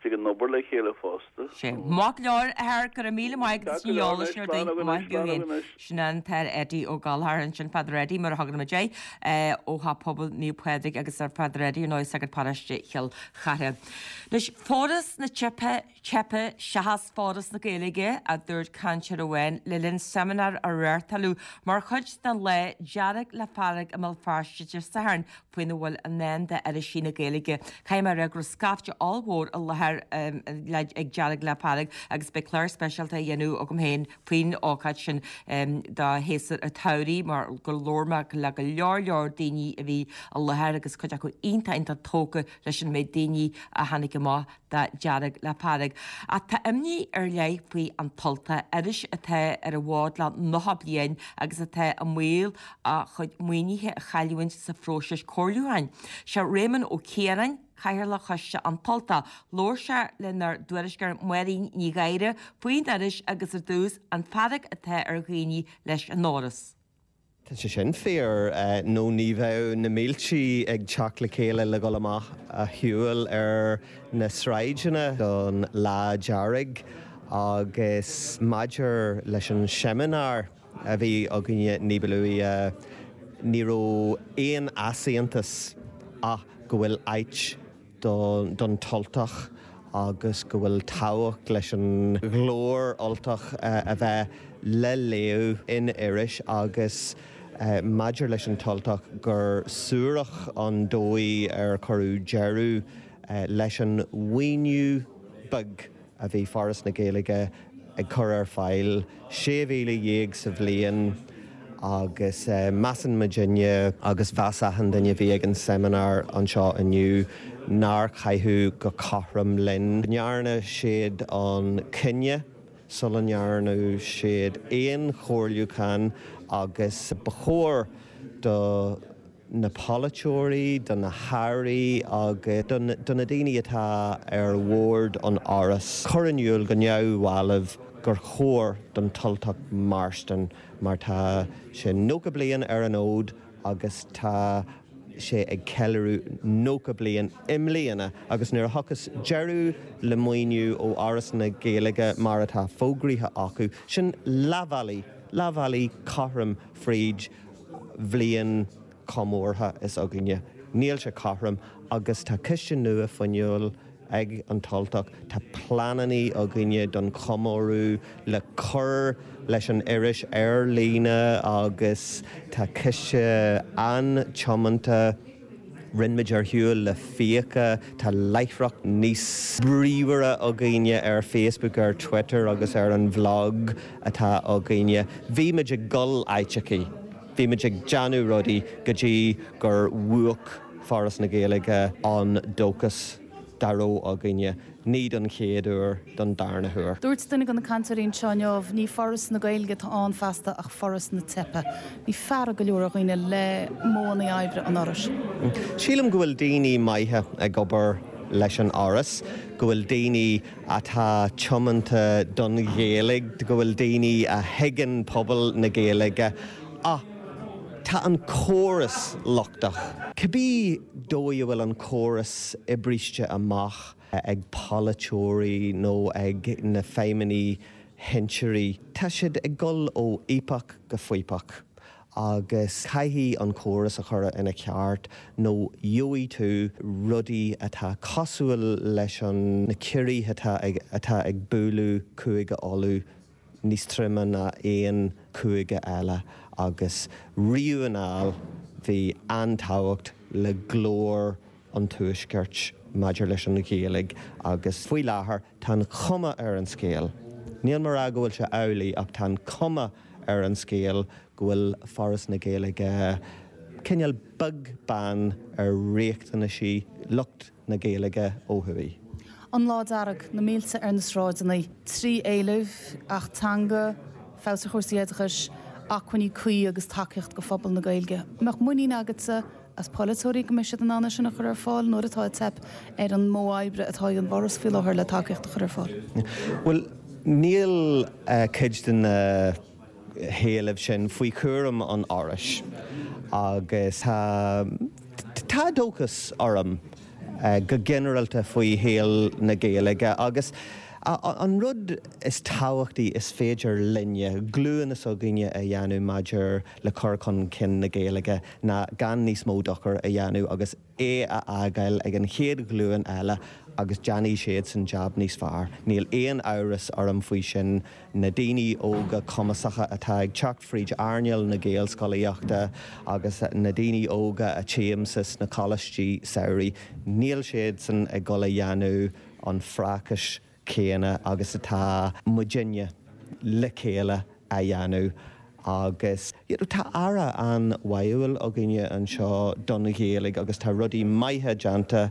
tig an obair le chéile fosta. Sea. Maith go leor, a Third, go raibh míle maith agat as an eolas sin ar dtaobh. Maith thú féin. Sin an tAthair Eddie Ó Gallchóir ansin, Father Eddie mar a thugann muid air, ó Theach Pobail Naomh Pádraig agus ar Father Eddie ar ndóigh sagart paróiste Chill Chartha. Anois, Foras na Teipthe, Teipthe seachas Foras na Gaeilge, a dúirt cainteoir amháin le linn seimineár a reáchtáladh mar chuid den lá Dearg le Fearg i mBéal Feirste Dé Sathairn faoina bhfuil i ndán d'irisí na Gaeilge. Caithfidh mé a rá go raibh scaifte ollmhór i láthair ag Dearg le Fearg agus beidh clár speisialta á dhéanamh agam féin faoin ócáid sin do shéasúr an tsamhraidh mar gur labhair mé le go leor leor daoine a bhí i láthair agus cuid acu iontach iontach tógtha leis an méid daoine a tháinig amach do Dearg le Fearg. Ach tá imní ar leith faoi An tUltach, iris atá ar an bhfód le 90 bliain agus atá i mbaol a chuid maoinithe a chailliúint sa phróiseas comhairliúcháin. Sé Réamonn Ó Ciaráin, Cathaoirleach Choiste An tUltach. Labhair sé lenár dtuairisceoir Máirín Ní Ghadhra faoin iris agus ar dtús, an fearg atá ar dhaoine leis an fhoras. Tá sé sin fíor, nó ní bheadh na mílte ag teacht le chéile le dhul amach a shiúl ar na sráideanna don Lá Dearg. Agus maidir leis an seimineár a bhí againne ní ba luaithe, ní raibh aon easaontas ach go bhfuil áit don tUltach agus go bhfuil tábhacht leis an ghlór Ultach a bheith le léamh in iris agus maidir leis an tUltach gur suarach an dóigh ar cuireadh deireadh leis an mhaoiniú beag a bhí Foras na Gaeilge ag cur ar fáil, 16,000 sa bhliain, agus measann muidinne, agus mheas achan duine a bhí ag an seimineár anseo inniu, nár caitheadh go cothrom linn. Go ndearna siad an cinneadh sula ndearna siad aon chomhairliúchán agus ba chóir do na polaiteoirí, do na hairí agus do na daoine atá ar bhord an Fhorais cur in iúl go neamhbhalbh gur chóir don tUltach mairstin mar tá sé 90 bliain ar an fhód agus tá sé ag ceiliúradh 90 bliain i mbliana agus nuair a thiocfas deireadh le maoiniú ó Fhoras na Gaeilge mar atá fógraithe acu, sin leath bealaigh, leath bealaigh cothrom fríd bhliain chomórtha is againne. Níl sé cothrom agus tá coiste nua fuinniúil ag an tUltach. Tá pleananna againne don chomóradh le cur leis an iris ar líne agus tá coiste an-tiomanta. Rinne muid ar shiúl le fiacha, tá láithreacht níos bríomhaire againne ar Facebook, ar Twitter agus ar an bhlog atá againne. Bhí muid ag dul áiteachaí, bhí muid ag déanamh rudaí go dtí gur mhúch Foras na Gaeilge an dóchas dá raibh againne. Ní don chéad uair, don darna huair. Dúirt duine de na cainteoirí anseo inniu, ní Foras na Gaeilge atá ann feasta ach Foras na Teipe. Bhí fearg go leor ar dhaoine le modhanna oibre an Fhorais. Sílim go bhfuil daoine maithe ag obair leis an Fhoras, go bhfuil daoine atá tiomanta don Ghaeilge, go bhfuil daoine a thuigeann pobal na Gaeilge ach tá an córas lochtach. Cibé dóigh a bhfuil an córas oibriste amach ag polaiteoirí nó ag na feidhmeannaigh shinsearaí, tá siad ag dul ó fhaopach go faopach agus caithfidh an córas a chur ina cheart nó gheobhaidh tú rudaí atá cosúil leis an na ciorruithe atá atá ag bualadh Cúige Uladh níos troime ná aon chúige eile agus riamh anall bhí an-tábhacht le glór an Tuaiscirt maidir leis an Ghaeilge agus faoi láthair tá an chuma ar an scéal, níl mé a rá go bhfuil sé amhlaidh ach tá an chuma ar an scéal go bhfuil Foras na Gaeilge cineál beag beann ar riachtanaisí lucht na Gaeilge ó thuaidh. An Lá Dearg, na mílte ar na sráideanna, 3 éileamh, Acht Teanga, feabhas ar chúrsaí oideachais, acmhainní cuí agus tacaíocht go phobal na Gaeilge. An mbeadh muinín agatsa as polaiteoirí go mbeidh siad in ann é sin a chur ar fáil nuair atá ag teip ar an modh oibre atá ag an bhForas faoi láthair le tacaíocht a chur ar fáil? Bhuel, níl cuid de na héilimh sin faoi chúram an Fhorais agus tá tá dóchas orm go ginearálta faoi shaol na Gaeilge agus an rud is tábhachtaí is féidir linne, glúin s'againne a dhéanamh maidir le cur chun cinn na Gaeilge ná gan níos mó dochair a dhéanamh agus é a fhágáil ag an chéad ghlúin eile agus déanfaidh siadsan jab níos fearr. Níl aon amhras orm faoi sin. Na daoine óga cumasacha atá ag teacht fríd earnáil na Gaelscolaíochta agus na daoine óga a tchímse sna coláistí samhraidh, níl siadsan ag dul a dhéanamh an phrácais céanna agus atá muidinne le chéile a dhéanamh agus you know tá Aire an-bháúil againne anseo don Ghaeilge agus tá rudaí maithe déanta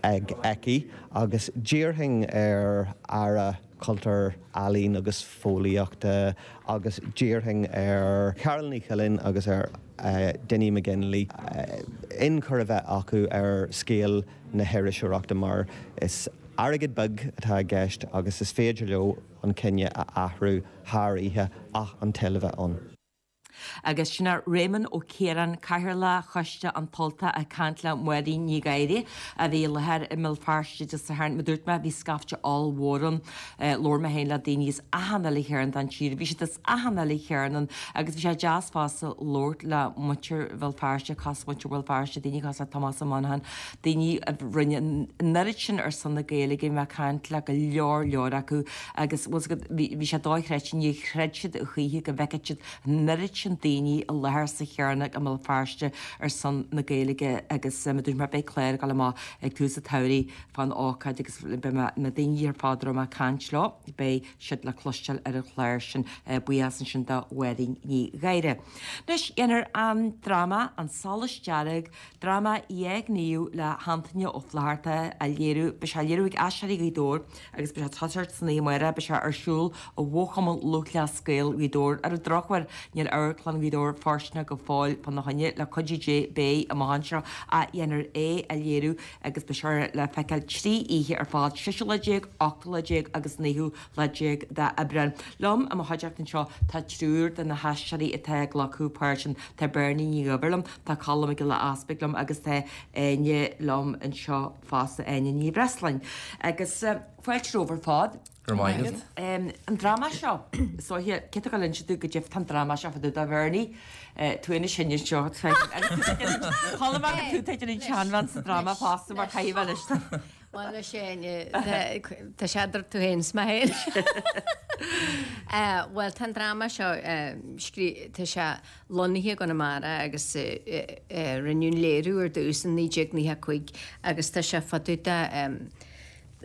ag aici agus d'iarrfainn ar Aire Cultúir, Ealaíon agus Fóillíochta agus d'iarrfainn ar Carál Ní Chuilín agus ar Dinny McGinley ionchur a bheith acu ar scéal na hiriseoireachta mar is airgead beag atá i gceist agus is féidir leo an cinneadh a athrú thar oíche ach an toil a bheith ann. Agus sin é Réamonn Ó Ciaráin, Cathaoirleach Choiste An tUltach ag caint le Máirín Ní Ghadhra a bhí i láthair i mBéal Feirste Dé Sathairn. Mar a dúirt mé, bhí scaifte ollmhór ann. Labhair mé féin le daoine as achan uile chearn den tír. Bhí siad as achan uile chearn ann agus bhí sé deas fosta labhairt le muintir Bhéal Feirste, cosmhuintir Bhéal Feirste, daoine cosúil le Tomás Ó Monacháin, daoine a rinne an oiread sin ar son na Gaeilge. Bhí mé ag caint le go leor leor acu agus bhfuil 's agat, bhí sé dochreidte, níor chreid siad a choíche go bhfeicfeadh siad an oiread sin daoine i láthair sa Chearnóg i mBéal Feirste ar son na Gaeilge agus mar a dúirt mé beidh clár ag dul amach ag tús an tsamhraidh fán ócáid agus beidh na daoine ar fad a raibh mé ag caint leo, beidh siad le cloisteáil ar an chlár sin. Buíochas ansin do Mháirín Ní Ghadhra. Anois, dhéanfar an dráma An Solas Dearg, dráma déghníomhach le hAntaine Ó Flatharta a léiriú, beidh sé á léiriú ag Aisteoirí Ghaoth Dobhair agus beidh sé ag toiseacht san oíche amárach, beidh sé ar siúl i bhFochumann Lúthchleas Gael Ghaoth Dobhair. Ar an drochuair, níl Amharclann Ghaoth Dobhair fóirsteanach go fóill fána choinne, le cuidiú Dé beidh amach anseo ach dhéanfar é a léiriú agus beidh sé le feiceáil 3 oíche ar fad, séú lá déag, ochtú lá déag agus naoú lá déag d'Aibreán. Liom i mo chuideachta anseo tá triúr de na haisteoirí atá ag glacadh páirt ann. Tá Bernie Ní Dhuibhir liom, tá Colm Mac Giolla Easpaig liom agus tá Áine liom anseo fosta, Áine Ní Bhreisleáin. Agus fáilte romhaibh ar fad. Go raibh maith agat. An dráma seo, is dóiche, cé atá ag dul a inse dúinn goidé fá an dráma seo fá dtaobh de Bhernie, tú féin is sine anseo, Colm agus tú tá an tseanbhean sa dráma fosta mar caithfidh bheith anois. Bhuel anois Áine, tá sé idir tú féin is mé féin. Bhuel tá an dráma seo, tá sé lonnaithe i gConamara agus rinneadh an léiriú ar dtús in 1995 agus tá sé fá dtaobh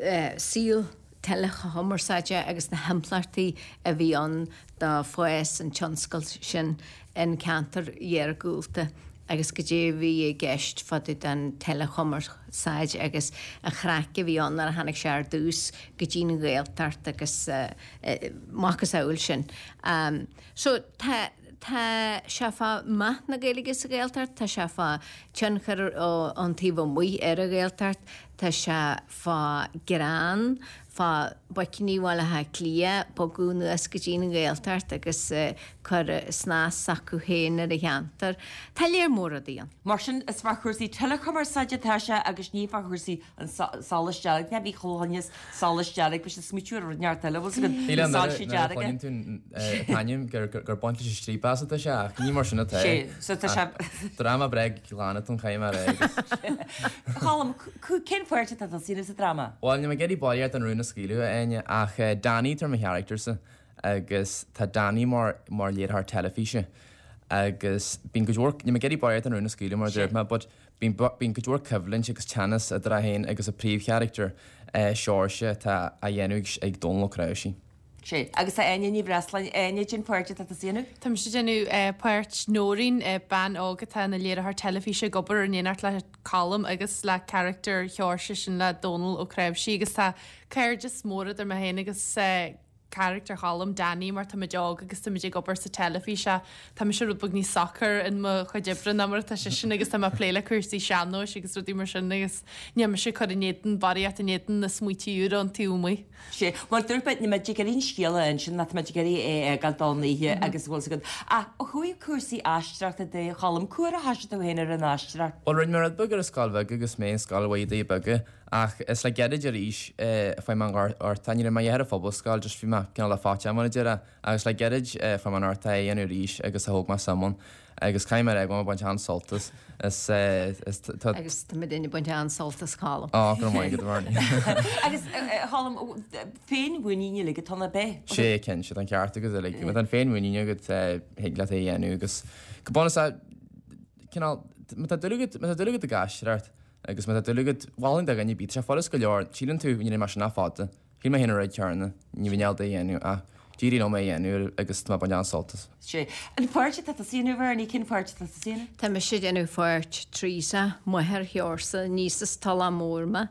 de saol teileachumarsáide agus na himpleachtaí a bhí ann do fás an tionscail sin in ceantair iargúlta agus goidé a bhí i gceist fá dtaobh den teileachumarsáid agus an chraic a bhí ann nuair a tháinig sé ar dtús go dtí'n Ghaeltacht agus macasamhail sin. So tá tá sé fá meath na Gaeilge sa Ghaeltacht, tá sé fá tionchar ón taobh amuigh ar an Ghaeltacht, tá sé fá greann, fá boicíní Bhaile Átha Cliath bogadh anuas go dtí an Ghaeltacht agus cur snas s'acu féin ar an cheantar. Tá léar mór rudaí ann. Mar sin, is fá chúrsaí teileachumarsáide atá sé agus ní fá chúrsaí an solais dearg. Ní bhí chuile dhuine solais dearg, bhí siad ag smaoitiú ar rud inteacht eile, bhfuil 's agat, na soilse dearga. Nuair a chluineann tú an t-ainm gur baint leis an striapachas atá sé ach ní mar sin atá. Sé, so tá sé. Dráma breá glan atá ann caithfidh mé a rá agus. Colm, Cén pháirt atá tusa a dhéanamh sa dráma? Bhuel, níl mé ag iarraidh baraíocht den rún a scaoileadh, a Áine, ach Danny atá ar mo charachtar-sa agus tá Danny mar mar léiritheoir teilifíse agus bíonn cuid mhór, níl mé ag iarraidh barraíocht den rún a scaoileadh mar a dúirt mé, but bíonn bíonn cuid mhór coimhlint agus teannas idir é féin agus a príomhcharachtar, Seoirse, atá á dhéanamh ag Dónal Ó Cnáimhsí. Sea. Agus tá Áine Ní Bhreisleáin. Áine, cén pháirt atá tusa a dhéanamh? Tá mise ag déanamh páirt Nóirín, bean óg atá ina léiritheoir teilifíse ag obair in éineacht le Colm agus le carachtar Sheoirse, sin le Dónal Ó Cnáimhsí agus tá cairdeas mór idir mé féin agus carachtar Choilm, Danny, mar táimid óg agus táimid ag obair sa teilifís ach tá mise rud beag níos socair in mo chuid oibre ná mar atá seisean agus tá mé ag plé le cúrsaí sean-nóis agus rudaí mar sin agus níl mise ag cur in éadan, barraíocht in éadan na smaointe úra ón taobh amuigh. Sea, bhuel dúirt mé, níl muid ag iarraidh an scéal a insint ach tá muid ag iarraidh é a fhágáil don oíche agus bhfuil 's agat. Ach ó thaobh cúrsaí aisteoireachta de, a Choilm, cá huair a thoisigh tú féin ar an aisteoireacht? Bhuel, rinne mé rud beag ar an scoil bheag agus mé in Scoil Mhuire Doire Beaga ach is le gairid arís a fuair mé an ghorta. Ní raibh mé a dhath ar an phobalscoil, just bhí mé cineál le faitíos mar a déarfá. Agus le gairid a fuair mé an ghorta é a dhéanamh arís agus a thóg mé suim ann. Agus caithfidh mé a rá go bhfuil mé ag baint an-sult as. Is, is, tá. Agus tá muidinne ag baint an-sult as Colm. Á, go raibh maith agat, a Bhernie. Agus, a Choilm, féinmhuinín uilig atá ann, ab ea? Sé, cinnte, tá an ceart agat uilig. Má tá an féinmhuinín agat, thig leat é a dhéanamh agus go bunúsach, cineál, má tá dúil agat, má tá dúil agat ag aisteoireacht agus má tá dúil agat, mholfainn do dhuine ar bith, tá sé furast go leor, síleann tú, ní raibh mé sin ach fada. Shíl mé féin an rud céanna, ní bheinn ábalta é a dhéanamh ach d'éirigh liom é a dhéanamh agus tá mé ag baint an-sult as. Sé. An pháirt atá tusa a dhéanamh, Bernie, cén pháirt atá tusa a dhéanamh? Tá mise ag déanamh pháirt Teresa, máthair Sheorsa, níos as Tulach Mhór mé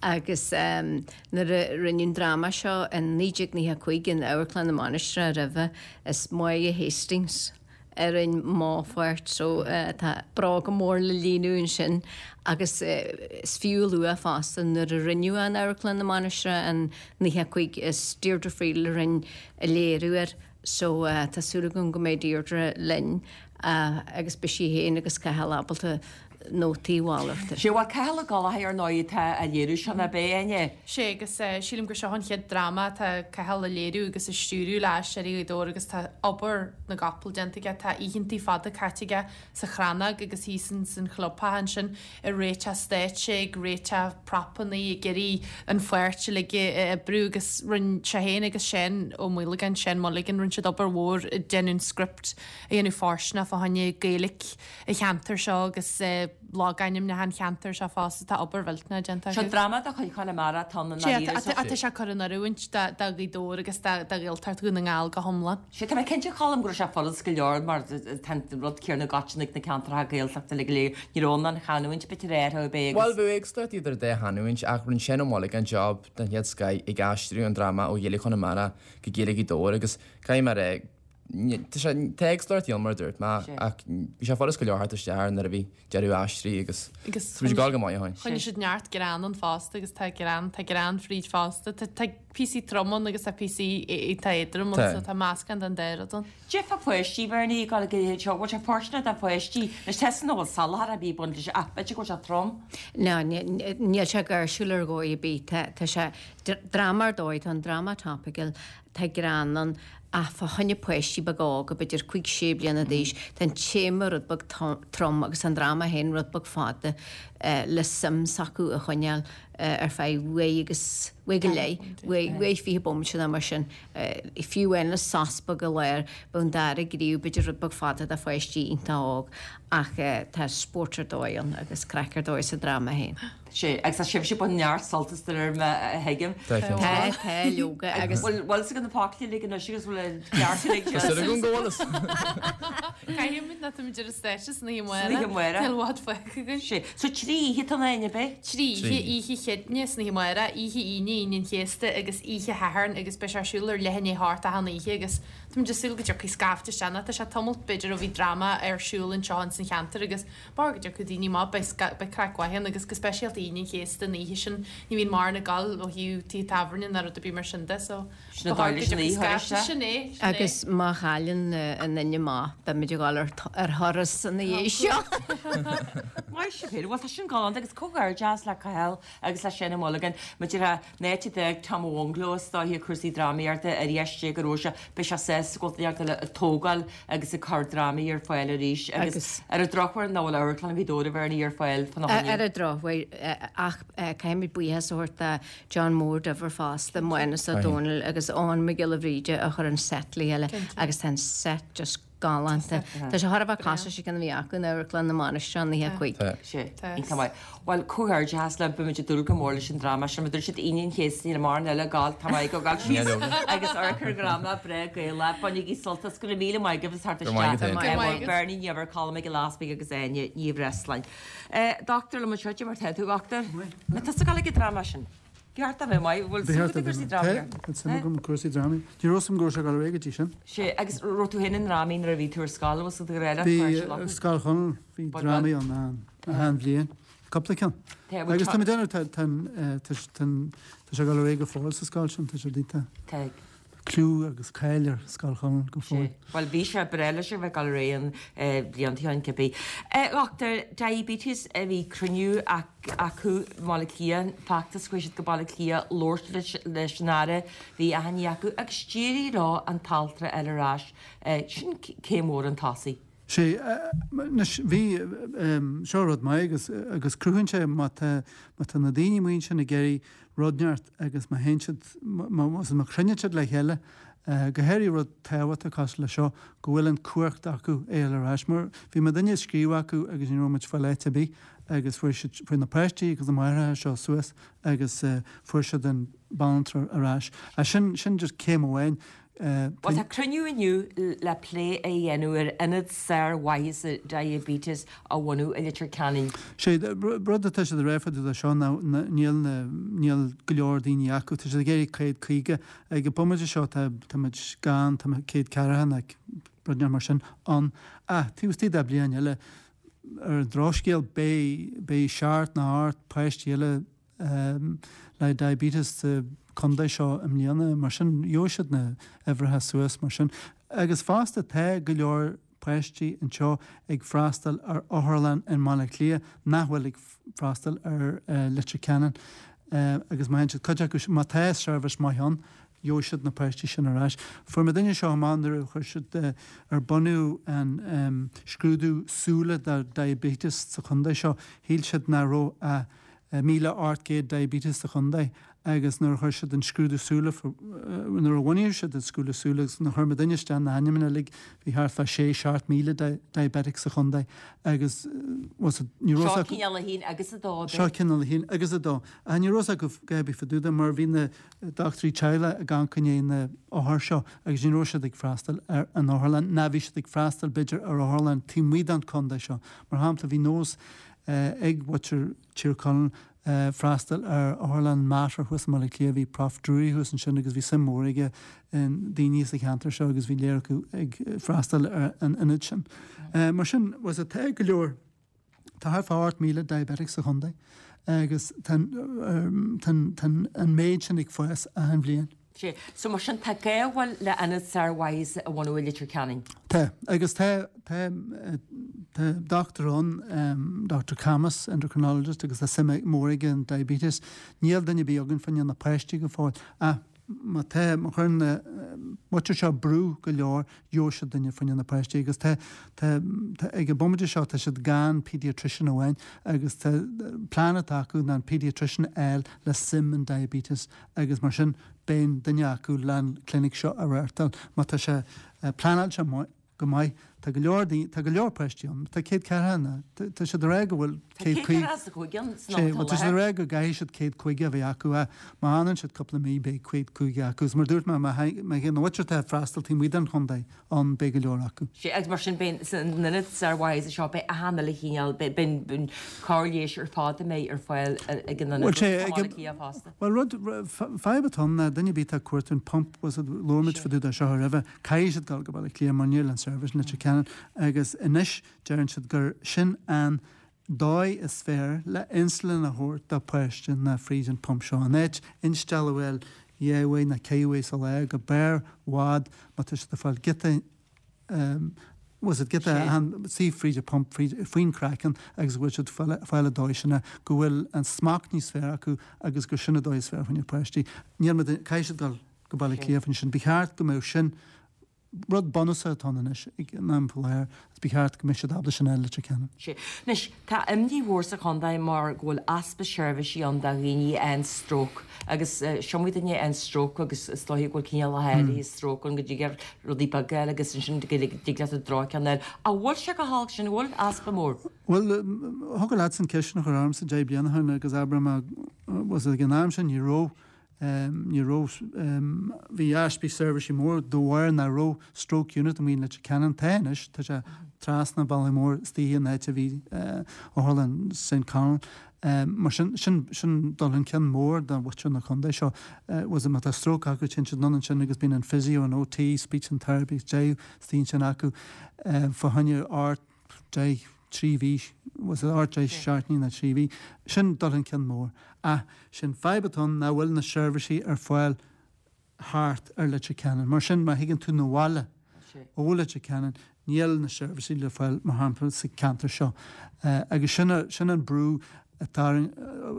agus nuair a rinneadh an dráma seo in 1995 in Amharclann na Mainistreach roimhe, is Máire Hastings a rinne mo pháirt so tá bróga mór le líonadh ansin agus is fiú a lua fosta nuair a rinneadh in Amharclann na Mainistreach in 95 is Deirdre Friel a rinne an léiriú air. So tá súil agam go mbeidh Deirdre linn agus beidh sí féin agus Cathal ábalta nótaí a mhalartú. Sé bhuel Cathal Ó Gallchóir ar ndóigh atá á léiriú seo nach b'é, Áine? Sé agus sílim gur seo an chéad dráma atá Cathal a léiriú agus a stiúriú le Aisteoirí Ghaoth Dobhair agus tá obair na gcapall déanta aige, tá oícheantaí fada caite aige sa Chrannóg agus thíos ins an chlubtheach ansin ag réiteach stáitse, ag réiteach propannaí, ag iarraidh an pháirt uilig a oibriú agus rinne sé féin agus Seán Ó Maolagáin, Seán Mulligan, rinne siad obair mhór ag déanamh an script a dhéanamh fóirsteanach fá choinne Gaeilge an cheantair seo agus logainmneacha an cheantair seo fosta, tá obair mhillteanach déanta acu. Seo dráma de chuid Chonamara atá ann i ndáiríre. Sea, tá sé curtha in oiriúint do Ghaoth Dobhair agus do Ghaeltacht Dhún na nGall go hiomlán. Sea, tá mé cinnte, Colm, go raibh sé furast go leor mar tá an rud céanna i gcoiteann ag na ceantracha Gaeltachta uilig go léir. Ní raibh an chanúint b'fhéidir ar ar bith agus. Bhuel, bheadh éagsúlacht idir an dá chanúint ach rinne Seán Ó Maolagáin job den chéad scoith ag aistriú an dráma ó Ghaeilge Chonamara go Gaeilge Ghaoth Dobhair agus caithfidh mé a rá, Tá sé, tá éagsúlacht ann mar a dúirt mé ach bhí sé furast go leor theacht isteach air nuair a bhí deireadh aistrithe agus bhí sé ag dul go maith ó shin. Choinnigh siad neart greann ann fosta agus tá greann, tá greann fríd fosta. Tá, tá píosaí trom ann agus tá píosaí iontach éadrom ann so tá meascán den dá rud ann. Cad é fá pháistí, Bhernie, ag dul go dtí seo, bhfuil sé fóirsteanach do pháistí? Anois tá san bhfuil salachar ar bith ag baint leis ach b'fhéidir go bhfuil sé trom. Ná, níl sé gáirsiúil ar dhóigh ar bith. Tá, tá sé, dráma ar dóigh, tá an dráma topical, Tá greann ann ach fá choinne páistí beaga óga, b'fhéidir cúig, sé bliana d'aois, tá an téama rud beag trom agus an dráma féin rud beag fada le suim s'acu a choinneáil ar feadh uair agus, uair go leith, uair 20 bomaite nó mar sin. Fiú amháin le sos beag i lár, bheadh an dara gníomh b'fhéidir rud beag fada do pháistí iontach óg ach tá spórt ar dóigh ann agus craic ar dóigh sa dráma féin. Sea, agus tá sibhse ag baint neart sult as de réir mar a thuigim. Tá, tá, leoga, agus. Bhfuil fhios agat na focla uilig anois agus bhfuil an ceart uilig Tá súil agam go bhfuil fhios. Caithfimid nó táimid ar an stáitse san oíche amárach. San oíche amárach. Níl i bhfad fágtha againn. Sea. So 3 oíche atá ann, ab é? 3 oíche, oíche Chéadaoine san oíche amárach, oíche Aoine, Aoine an Chéasta agus oíche Shathairn agus beidh sé ar siúl ar leath i ndiaidh a hocht achan oíche agus táimid ag súil go dtiocfaidh scaifte isteach nó tá sé tamalt b'fhéidir ó bhí dráma ar siúl anseo ins an cheantar agus Mar go dtiocfaidh daoine amach, beidh craic mhaith ann agus go speisialta Aoine an Chéasta, an oíche sin, ní bhíonn mórán ag gabháil ó thaobh tithe tábhairne ná rud ar bith mar sin de so Sin an dóigh leis an oíche thurais, sin é, sin é. Agus má chailleann an duine amach, beimid ag dul ar thuras ina dhiaidh seo. Maith sibh féin. Bhuel, tá sin galánta agus comhghairdeas le Cathal agus le Seán Ó Maolagáin. Maidir le an áit a d'fhág Tom Ó Mhunglo is dóiche cúrsaí drámaíochta ar dheis Dé go raibh sé, beidh sé sásta go bhfuil duine ag tógáil agus ag cur drámaí ar fáil arís agus ar an drochuair nach bhfuil Amharclann Ghaoth Dobhair a Bhernie ar fáil fána choinne. Ar an drochuair, ach caithfimid buíochas a thabhairt do John Mór Duibhir fosta, Mánas Ó Dónaill agus Eoghan Mac Giolla Bhríde a chuir an set le chéile agus tá an set just galánta. Tá sé chóir a bheith cosúil leis an gceann a bhí acu in Amharclann na Mainistreach in 95. Sea, iontach maith. Bhuel, comhghairdeas libh, beimid ag dúil go mór leis an dráma sin. Mar dúirt siad Aoine an Chéasta, níl mórán eile ag gabháil, tá mé ag gabháil síos agus amharc ar dhráma breá Gaelach. Bainigí sult as, go raibh míle maith agaibh as theacht isteach. Bernie Ní Eibhir, Colm Mac Giolla Easpaig agus Áine Ní Bhreisleáin. Dochtúir liom anseo, cad é mar tá tú, a dhochtúir? An tusa ag gabháil ag an dráma sin? Bhí ort a bheith maith, bhfuil suim agat i gcúrsaí drámaíochta? Tá suim agam i gcúrsaí drámaí. Ní raibh 'fhios a'm go raibh sé ag dul ar aghaidh go dtí sin. Sea, agus raibh tú féin i ndrámaí nuair a bhí tú ar scoil, bhfuil tú ag Bhí, ar Scoil Chonaill, bhí drámaí ann achan bhliain, cúpla ceann. Agus tá mé ag déanamh, tá, tá, tá, tá sé ag dul ar aghaidh go fóill sa scoil sin, tá sé iontach. Tá. Clú agus cáil ar Scoil Chonaill go fóill. Bhuel, bhí sé breá leis a bheith ag dul ar aghaidh an bhlianta ó shin cibé. Dhochtúir, diabetes, bhí cruinniú acu i mBaile Átha Cliath, feachtas, chuaigh siad go Baile Átha Cliath labhairt leis an Aire, bhí achainí acu agus d'éirigh leo an t-altra a fháil ar ais. Sin céim mhór chun tosaigh. Sea, anois, bhí, seo rud maith agus, agus cruthaíonn sé má tá, má tá na daoine amuigh ansin ag iarraidh rud inteacht agus má théann siad, má chruinníonn siad le chéile, go háirithe rud tábhachtach cosúil le seo, go bhfuil an cumhacht acu é a fháil ar ais. Mar bhí muidinne ag scríobh acu agus ní raibh muid ag fáil áit ar bith agus fuair siad, fuair na páistí agus na máithreacha seo suas agus fuair siad an banaltra ar ais. Sin, sin just céim amháin. Bhuel, tá cruinniú inniu le plé a dhéanamh ar ionad sármhaitheasa diabetes a bhunú i Leitir Ceanainn. Sé rud atá siad ag rá fá dtaobh de seo ná níl na, níl go leor daoine acu. Tá siad ag iarraidh 150. Ag an bomaite seo tá, tá muid gann, tá 140 nó rud inteacht mar sin ann. Ach taobh istigh de bliain eile, ar an drochscéal, beidh, beidh seacht nó ocht páistí eile le diabetes sa chontae seo i mbliana. Mar sin, gheobhaidh siad na huimhreacha suas mar sin. Agus fosta tá go leor páistí anseo ag freastal ar otharlann i mBaile Átha Cliath nach bhfuil ag freastal ar Leitir Ceanainn agus má théann siad, cuid acu, má tá seirbhís maith ann, gheobhaidh siad na páistí sin ar ais. Fuair muid duine seo amach nuair a chuir siad ar bunaíodh an scrúdú súile do diabetes sa chontae seo, shíl siad nach raibh ach 1,800 diabetes sa chontae agus nuair a chuir siad an scrúdú súile, nuair a bhunaíodh siad an scrúdú súile agus nuair a chuir muidinne isteach na hainmneacha uilig, bhí thart fá sé, 7,000 diabetic sa chontae agus was it, ní raibh Seo cineál 1 agus 2, ab é? Seo cineál 1 agus 2. Ach ní raibh fhios acu a dhath ar bith fá dtaobh de mar bhí na dochtúirí teaghlaigh ag amharc i ndiaidh na othair seo agus ní raibh siad ag freastal ar an otharlann ná bhí siad ag freastal b'fhéidir ar otharlann taobh amuigh den chontae seo. Mar shampla bhí nós ag mhuintir Tír Chonaill freastal ar Otharlann Mater thuas i mBaile Átha Cliath. Bhí Prof Drury thuas ansin agus bhí suim mhór aige i ndaoine sa cheantar seo agus bhí lear acu ag freastal ar an ionad sin. Mar sin, was it, tá go leor, tá thart fá 8,000 diabetic sa chontae agus tá an méid sin ag fás achan bhliain. Sea. So mar sin tá gá a bhfuil le ionad sármhaitheasa a bhunú i Leitir Ceanainn. Tá. Agus tá, tá, tá dochtúir ann, Doctor Camus, endocrinologist, agus tá suim mór aige in diabetes. Níl duine ar bith againn fá choinne na páistí go fóill. Ach má tá, má chuireann na muintir seo brú go leor, gheobhaidh siad duine fá choinne na páistí. Agus tá, tá, tá, ag an bomaite seo tá siad gan pediatrician amháin agus tá plean atá acu ná an pediatrician a fháil le suim in diabetes agus mar sin beidh duine acu leis an clinic seo a reáchtáil. Má tá sé pleanáilte go maith, tá go leor daoine, tá go leor páistí ann, tá 140 ann, tá siad ag rá go bhfuil Tá 145 ann san am atá Tá siad ag rá go gcaithfidh siad 150 a bheith acu ach má fhanann siad cúpla mí beidh 150 acu. Agus mar a dúirt mé, má théann na muintir atá ag freastal taobh amuigh den chontae, ann, beidh go leor acu. Sea, agus mar sin beidh san ionad sármhaitheasa seo, beidh achan uile chineál, beidh an cóir leighis ar fad a mbeidh ar fáil ag an ionad, Bhuel, sé, i mBaile Átha Cliath fosta. Bhuel, rud, fadhb atá ann ná duine ar bith atá ag cuartú an pump, bhfuil a fhios agat, labhair muid fá dtaobh de seo roimhe, caithfidh siad dul go Baile Átha Cliath mar níl an seirbhís in Leitir Ceanainn agus anois deireann siad gur sin an dóigh is fearr le insulin a thabhairt do pháiste ná fríd an pump seo. In áit instealladh a fháil dhá uair nó ceithre uair sa lá go barr bhfad má tá siad ag fáil giota bhfuil a fhios agat giota suí fríd an pump fríd faoin craiceann agus go bhfuil siad fáil an dóigh sin go bhfuil an smacht níos fearr acu agus gur sin an dóigh is fearr fá choinne páistí. Níl muid caithfidh siad dul go Baile Átha Cliath ansin. Ba cheart go mbeadh sin Rud bunúsach atá ann anois ag an am faoi láthair agus ba cheart go mbeadh siad ábalta sin a fháil i Leitir Ceanainn. Sea. Anois, tá imní mhór sa chontae mar go bhfuil easpa seirbhísí ann do dhaoine a fhaigheann stróc agus is iomaí duine a fhaigheann stróc agus is dóiche go bhfuil cineálacha áirithe stróc ann go dtig leat rudaí beaga a fháil agus ansin go dtig leat an droch-cheann a fháil. An bhfuil sé chomh holc sin? An bhfuil easpa mór? Bhuel, thiocfadh leatsa an ceist sin a chur ormsa 10 bliana ó shin agus abair má bhfuil a fhios agat ag an am sin ní raibh Ní raibh, bhí easpa seirbhísí mór de bharr nach raibh stroke unit amuigh in Leitir Ceanainn. Tá anois, tá sé trasna an bhealaigh mhóir istigh in áit a bhí Otharlann St Conal. Mar sin, sin, sin dul chun cinn mór do mhuintir na contae seo. Was má tá stroke acu, téann siad anonn ansin agus bíonn an physio, an OT, speech and therapy, deich istigh ansin acu fá choinne 8, 10, 3 mhí, was it 8, 10 seachtainí nó 3 mhí, sin dul chun cinn mór. Ach sin fadhb atá ann nach bhfuil na seirbhísí ar fáil thart ar Leitir Ceanainn. Mar sin má thigeann tú 'na bhaile ó Leitir Ceanainn níl na seirbhísí le fáil mar shampla sa ceantar seo. Agus sin sin an brú atá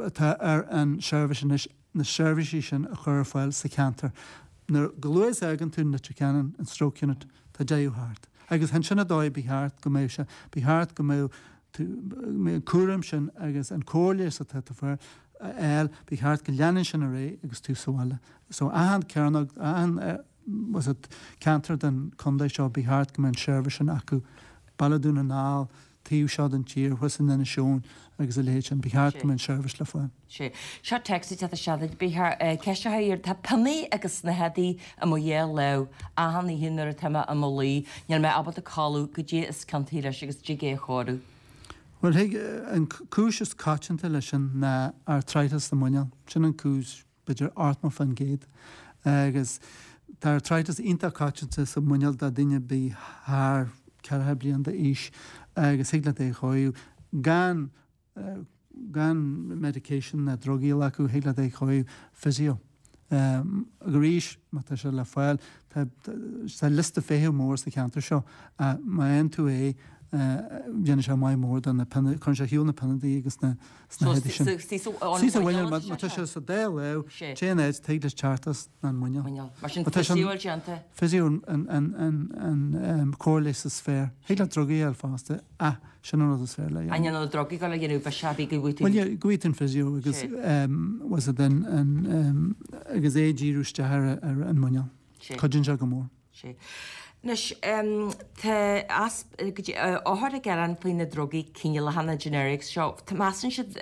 atá ar an seirbhís anois na seirbhísí sin a chur ar fáil sa cheantar. Nuair chomh luath is a fhágann tú Leitir Ceanainn, an stroke unit, tá deireadh thart. Agus ansin an dóigh ba cheart go mbeadh sé, ba cheart go mbeadh tú, an cúram sin agus an cóir leighis atá tú a fháil, ba cheart go leanann sin ar aghaidh agus tú sa bhaile. So achan cearnóg, achan was it ceantar den chontae seo, ba cheart go mbeadh an seirbhís sin acu. Baile Dhún na nGall, taobh seo den tír, thuas in Inis Eoghain agus a leithéid sin, ba cheart go mbeadh an seirbhís le fáil. Sea. Seo téacs ag teacht isteach duit. Ba cheart ceist a chur. Tá pionnaí agus snáthaidí i mo dhá lámh achan oíche nuair atá mé i mo luí. Níl mé ábalta codladh. Goidé is ciontaí leis agus dtig é a chóiriú. Bhuel, thig, an cúis is coitianta leis sin ná arthritis sa muineál. Sin an cúis b'fhéidir 80%. Agus tá arthritis iontach coitianta sa muineál do daoine a bhí thar 40 bliain d'aois agus thig leat é a chóiriú gan gan medication ná drugaí a ghlacadh, thig leat é a chóiriú physio. Ach arís, má tá sé le fáil, tá tá liosta feithimh mór sa cheantar seo ach má fhaigheann tú é, déanann sé maith mór do na pionna, cuireann sé ar shiúl na pionnaí agus na So sna héadaí sin. istigh sa Istigh sa mhuineál mhuineál, má atá tá sé? sé sa dá lámh, Sé. téann áit, tig leis teacht as ná an muineál. Muineál. Mar sin Má tá sé physio déanta. Physio an an an an cóir leighis is fearr. Thig leat drugaí a fháil fosta ach sin an rud is fearr le An dhéanamh. ndéanann na drugaí go le dhéanamh biseach bhí go bhfaighidh tú. Bhuel yeah, go bhfaighidh tú an physio agus Sé. was it an an agus é ag díriú isteach ar ar an muineál. Sé. Cuidíonn sé go mór. Sé. Anois, tá go dtí, othair ag gearán faoi na drugaí cineálacha, na generics seo. Measann siad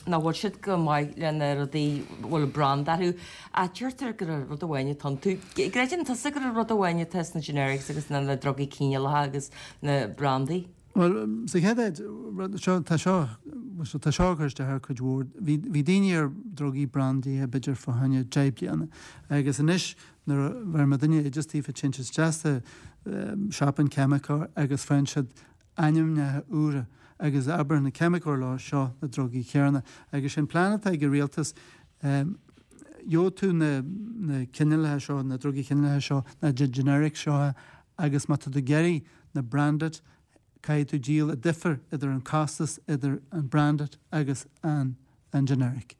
nach bhfuil siad go maith le na rudaí a bhfuil branda orthu. Ach deirtear gur rud amháin atá iontu. Creideann tusa gur rud amháin atá sna generics agus na drugaí cineálacha agus na brandaí? Bhuel, sa chéad áit, rud, seo, tá seo, so tá seo ag cur isteach ar cuid mhór. Bhí, bhí daoine ar drugaí brandaithe b'fhéidir fá choinne 10 bliana agus anois nuair a bheireann duine oideas daofa téann siad isteach sa siopa an ceimiceoir agus faigheann siad ainmneacha úra agus abraíonn an ceimiceoir leo seo na drugaí céanna agus sin plean atá ag an rialtas gheobhaidh tú na, na cineálacha seo, na drugaí cineálacha seo, na generics seo agus má tá tú ag iarraidh na branded, caithfidh tú díol an difear idir an costas idir an branded agus an an generic.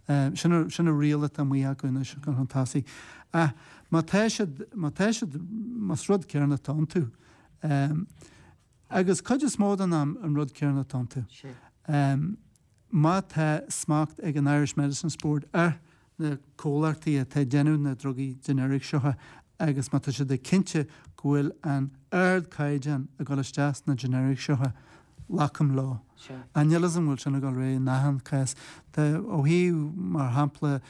Sin an sin an riail atá amuigh acu anois chun tosaigh. Ach má tá siad má tá siad más rud céanna atá iontu agus cuid is mó den am an rud céanna atá iontu. Má tá smacht ag an Irish Medicines Board ar na comhlachtaí atá ag déanamh na drugaí generic seo agus má tá siad ag cinnte go bhfuil an ardchaighdeán ag dul isteach sna generics seo, glacaim leo. Ach níl fhios a'm go bhfuil sin ag dul ar aghaidh in achan cás. Tá, ó thaobh, mar shampla,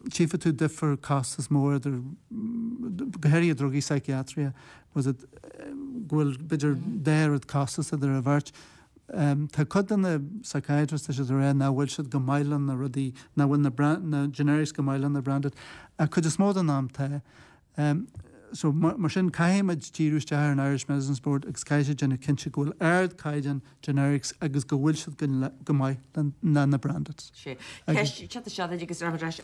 tchífidh tú difear costas mór idir, go háirithe drugaí psychiatry, was it, go bhfuil b'fhéidir dá oiread costas idir an bheirt. Tá cuid de na psychiatrists, tá siad ag rá nach bhfuil siad go maith le na rudaí, nach bhfuil na na generics go maith le na branded. Ach cuid is mó den am tá. So mar sin caithfimid díriú isteach ar an Irish Medicines Board agus caithfidh siad déanamh cinnte go bhfuil ardchaighdeán generics agus go bhfuil siad go maith le na branded. Sé. Ceist teacht isteach duit agus ar ais.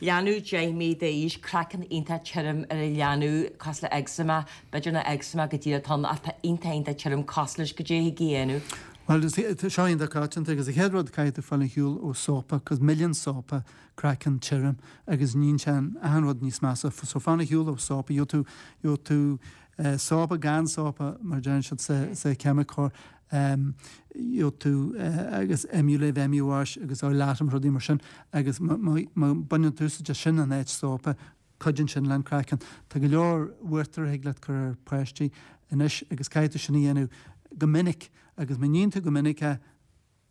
Leanbh 10 mí d'aois, craiceann iontach tirim ar an leanbh cosúil le eczema, B'fhéidir nach eczema go díreach atá ann ach tá iontach iontach tirim cosúil leis goidé a thig a dhéanamh. Bhuel, seo iontach coitianta agus an chéad rud caithfidh tú fáil ar shiúl ó sópa cos milleann sópa craiceann tirim agus níonn sé an achan rud níos measa. So fan ar shiúl ó sópa, gheobhaidh tú, gheobhaidh tú sópa gan sópa mar a deireann siad sa, sa cheimiceoir, gheobhaidh tú agus Emulave, Emuwash agus Oilatum rudaí mar sin agus má, má, má baineann tú úsáid as sin in áit sópa, Cuidíonn sin le an craiceann. Tá go leor uachtar a thig leat cur ar páistí anois agus caithfidh tú sin a dhéanamh go minic agus má níonn tú go minic é,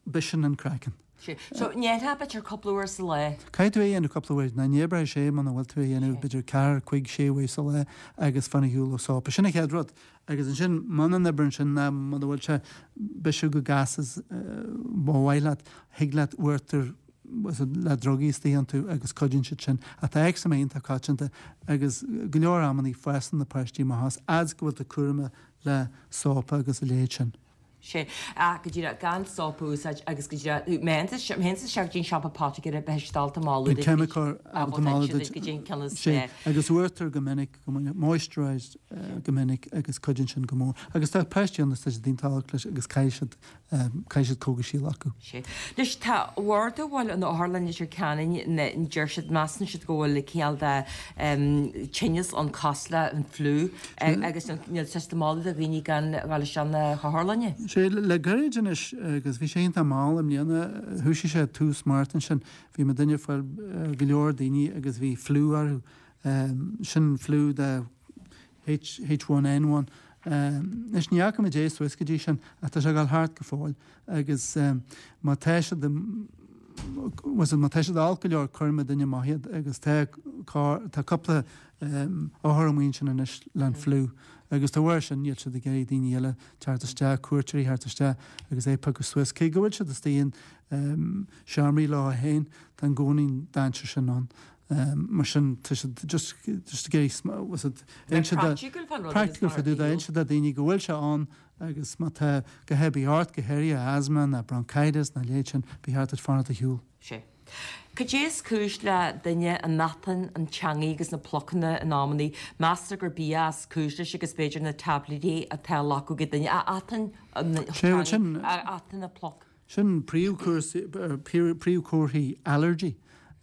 biseann an craiceann. Sea. So, ndéanfá b'fhéidir cúpla uair sa lá? Caithfidh tú é a dhéanamh cúpla uair. Ná ní oibreoidh sé muna bhfuil tú é a dhéanamh b'fhéidir ceathair, cuig, sé uair sa lá agus fan ar shiúl ó sópa. Sin an chéad rud. Agus ansin muna n-oibreann sin ná muna bhfuil sé bisiú go gasta is ba mhaith leat, thig leat uachtar le drugaí istigh iontu agus cuidíonn siad sin. Ach tá eczema iontach coitianta agus go leor amannaí fásann na páistí amach as, fhad 's go bhfuil tú cúramach le sópa agus a leithéid sin. Sea, ach go díreach, gan sópa a úsáid agus go díreach, má théann tú isteach go dtí an siopa poiticéara beidh siad ábalta moladh duit. An ceimiceoir ábalta moladh duit go dtí an ceann is Sea, agus uachtar go minic, go minic, moisturised go minic agus cuidíonn sin go mór. Agus tá páistí ann is tá siad iontach olc leis agus caithfidh siad Caithfidh siad cógaisí a ghlacadh. Sea. Anois, tá bord a bhfuil an otharlann Leitir Ceanainn, deir siad, measann siad go bhfuil cineál de tinneas ann cosúil le an fliú agus níl siad ag moladh do dhaoine gan dhul isteach na hotharlainne. Sea, le gairid anois, agus bhí sé iontach mall i mbliana, thoisigh sé tús Márta ansin, bhí muid ag fáil go leor daoine agus bhí fliú orthu. Sin fliú de H, H1N1. Anois, ní fhaca muid é suas go dtí sin, ach tá sé ag dul thart go fóill agus má tá siad, má tá siad olc go leor, cuirfidh muidinne amach iad agus tá carr, tá cúpla othar amuigh ansin anois le an fliú agus dá bharr sin níl siad ag iarraidh daoine eile teacht isteach, cuairteoirí theacht isteach agus é a phiocadh suas. Cé go bhfuil siad istigh in seomraí leo féin, tá i gcónaí an dainséar sin ann. Mar sin, tá siad just just ag iarraidh was it inse do Practical fán rud agus practical mar fá dtaobh de inse do daoine go bhfuil sé ann agus má tá a dhath ar bith ort, go háirithe asthma ná bronchitis ná a leithéid sin, ba cheart duit fanacht ar shiúl. Sea. Cad é is cúis le duine an atáin, an teangaidh agus na plucanna in amannaí? Meastar gur bia is cúis leis agus b'fhéidir na taibléidí atá á nglacadh ag duine. A atáin, an teangaidh, a atáin na pluc. Sin príomhchomharthaí allergy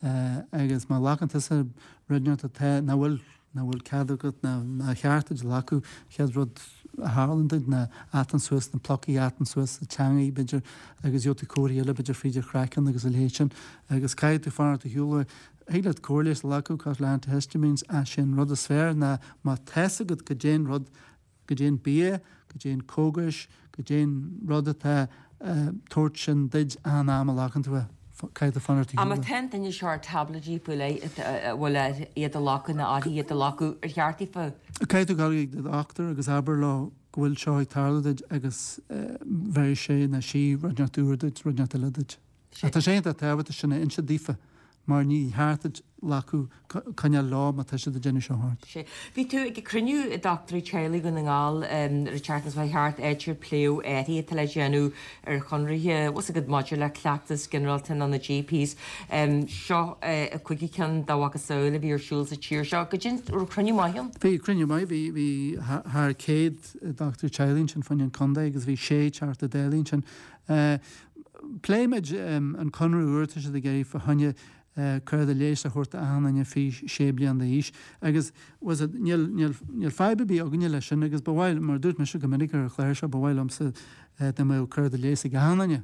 agus má ghlacann tusa rud inteacht atá, nach bhfuil, nach bhfuil cead agat ná nár cheart duit a ghlacadh, chéad rud a tharlaíonn duit ná atáin suas na plucaí, atáin suas an teangaidh b'fhéidir agus gheobhaidh tú comharthaí eile b'fhéidir fríd an chraiceann agus a leithéid sin agus caithfidh tú fanacht ar shiúl uaidh. Thig leat cóir leighis a ghlacadh cosúil le antihistamines ach sé an rud is fearr ná má tá's agat goidé an rud goidé an bia, goidé an cógais, goidé an rud atá a' tabhairt sin duid achan am a ghlacann tú é, caithfidh tú fanacht ar shiúl. Má tá an duine seo ar táibléidí faoi leith a bhfuil air iad a ghlacadh nó uirthi iad a ghlacadh, ar cheart daofa. Caithfidh tú dul chuig do dhochtúir agus abair leo go bhfuil seo ag tarlú duit agus bhéarfaidh sé nó sí rud inteacht úr duit, rud inteacht eile duit. Ach tá sé iontach tábhachtach sin a inse daofa mar ní cheart duit glacadh, coinneáil leo má tá siad ag déanamh seo ort. Sea. Bhí tú ag cruinniú dochtúirí teaghlaigh Dhún na nGall an tseachtain seo thart, áit ar pléadh athruithe atá le déanamh ar chonraithe, bhfuil 's agat, maidir le cleachtas ginearálta nó na GPs. Seo an cúigiú ceann dá mhacasamhail a bhí ar siúl sa tír seo. Goidé an raibh cruinniú maith ann? Bhí cruinniú maith, bhí, bhí thar 100 dochtúir teaghlaigh ansin fá choinne an chontae agus bhí sé Teachta Dála ansin. Phléigh muid an conradh úr atá siad ag iarraidh fá choinne cárta leighis a thabhairt d'achan duine faoi 6 bliana d'aois agus bhfuil 's agat, níl, níl, níl fadhb ar bith againne leis sin agus ba mhaith, mar a dúirt mise go minic ar an chlár seo, ba mhaith liomsa dá mbeadh cárta leighis ag achan duine,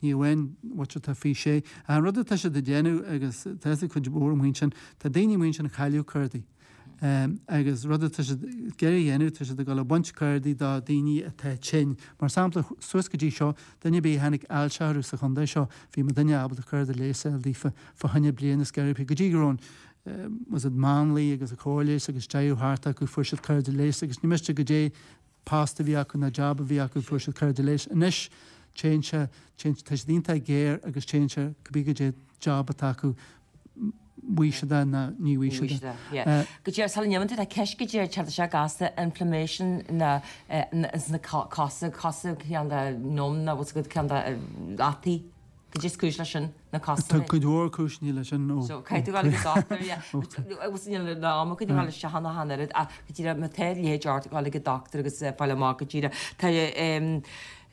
ní amháin muintir atá faoi 6. Ach an rud atá siad ag déanamh agus tá 'fhios ag cuid mhór amuigh ansin, tá daoine amuigh ansin a chailleadh cártaí. Agus rud atá siad ag iarraidh a dhéanamh, tá siad ag dul ag baint cárdaí do daoine atá tinn. Mar sampla, suas go dtí seo, duine ar bith a tháinig ailse orthu sa chontae seo, bhí an duine ábalta cárta leighis a fháil daofa fá choinne bliain is ceithre go dtí go raibh an, bhfuil 's agat, máinlia agus an chóir leighis agus deireadh thart acu, fuair siad cárta leighis agus ní miste goidé post a bhí acu ná jab a bhí acu, fuair siad cárta leighis. Anois, téann sé, téann, tá siad iontach géar agus téann sé, cibé goidé job atá acu, bhfaighidh siad é ná ní bhfaighidh siad é. Go díreach sula n-imíonn tú, tá ceist go díreach tá sé gasta inflammation na ins na cosa, cosa ceann de numb nó bhfuil 's agat ceann de fhataí. Goidé is cúis leis sin, na cosa. Tá cuid mhór cúiseanna leis sin ó. So caithfidh tú dul ag an dochtúir, yeah. Agus níl an am againn a dhul isteach ann ach an oiread ach go díreach má tá a leithéid ort dul ag an dochtúir agus fáil amach go díreach. Tá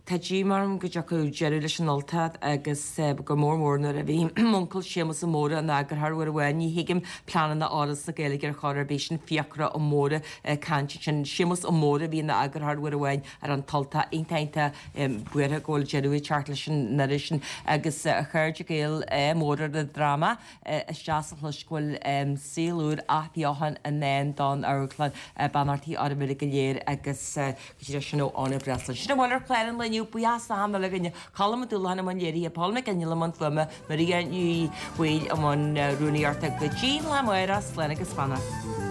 Tá díomá orm go dtiocfaidh deireadh leis an Ultach agus go mór mór nuair a bhí m'uncail Séamus Ó Mórdha ina eagarthóir uair amháin. Ní thuigim pleananna Fhoras na Gaeilge ar chor ar bith. Sin Fiachra Ó Mórdha ag caint ansin. Séamus Ó Mórdha a bhí ina eagarthóir uair amháin ar an tUltach. Iontach iontach buartha go bhfuil deireadh ag teacht leis an iris sin agus a chairde Gael mór ar an dráma. Is deas a chlois go bhfuil saol úr athbheochan i ndán don amharclann. Beannachtaí oraibh uilig go léir agus. Go dtí sin ó Áine Breslin. Sin a bhfuil ar chlár an lae inniu. Buíochas d'achan duine againne. Colm Ó Dúlacháin i mbun léirithe, Paul McGinley i mbun fuaime, Maria Ní Bhaoill i mbun rúnaíochta. Go dtí an lá amárach, slán agus beannacht.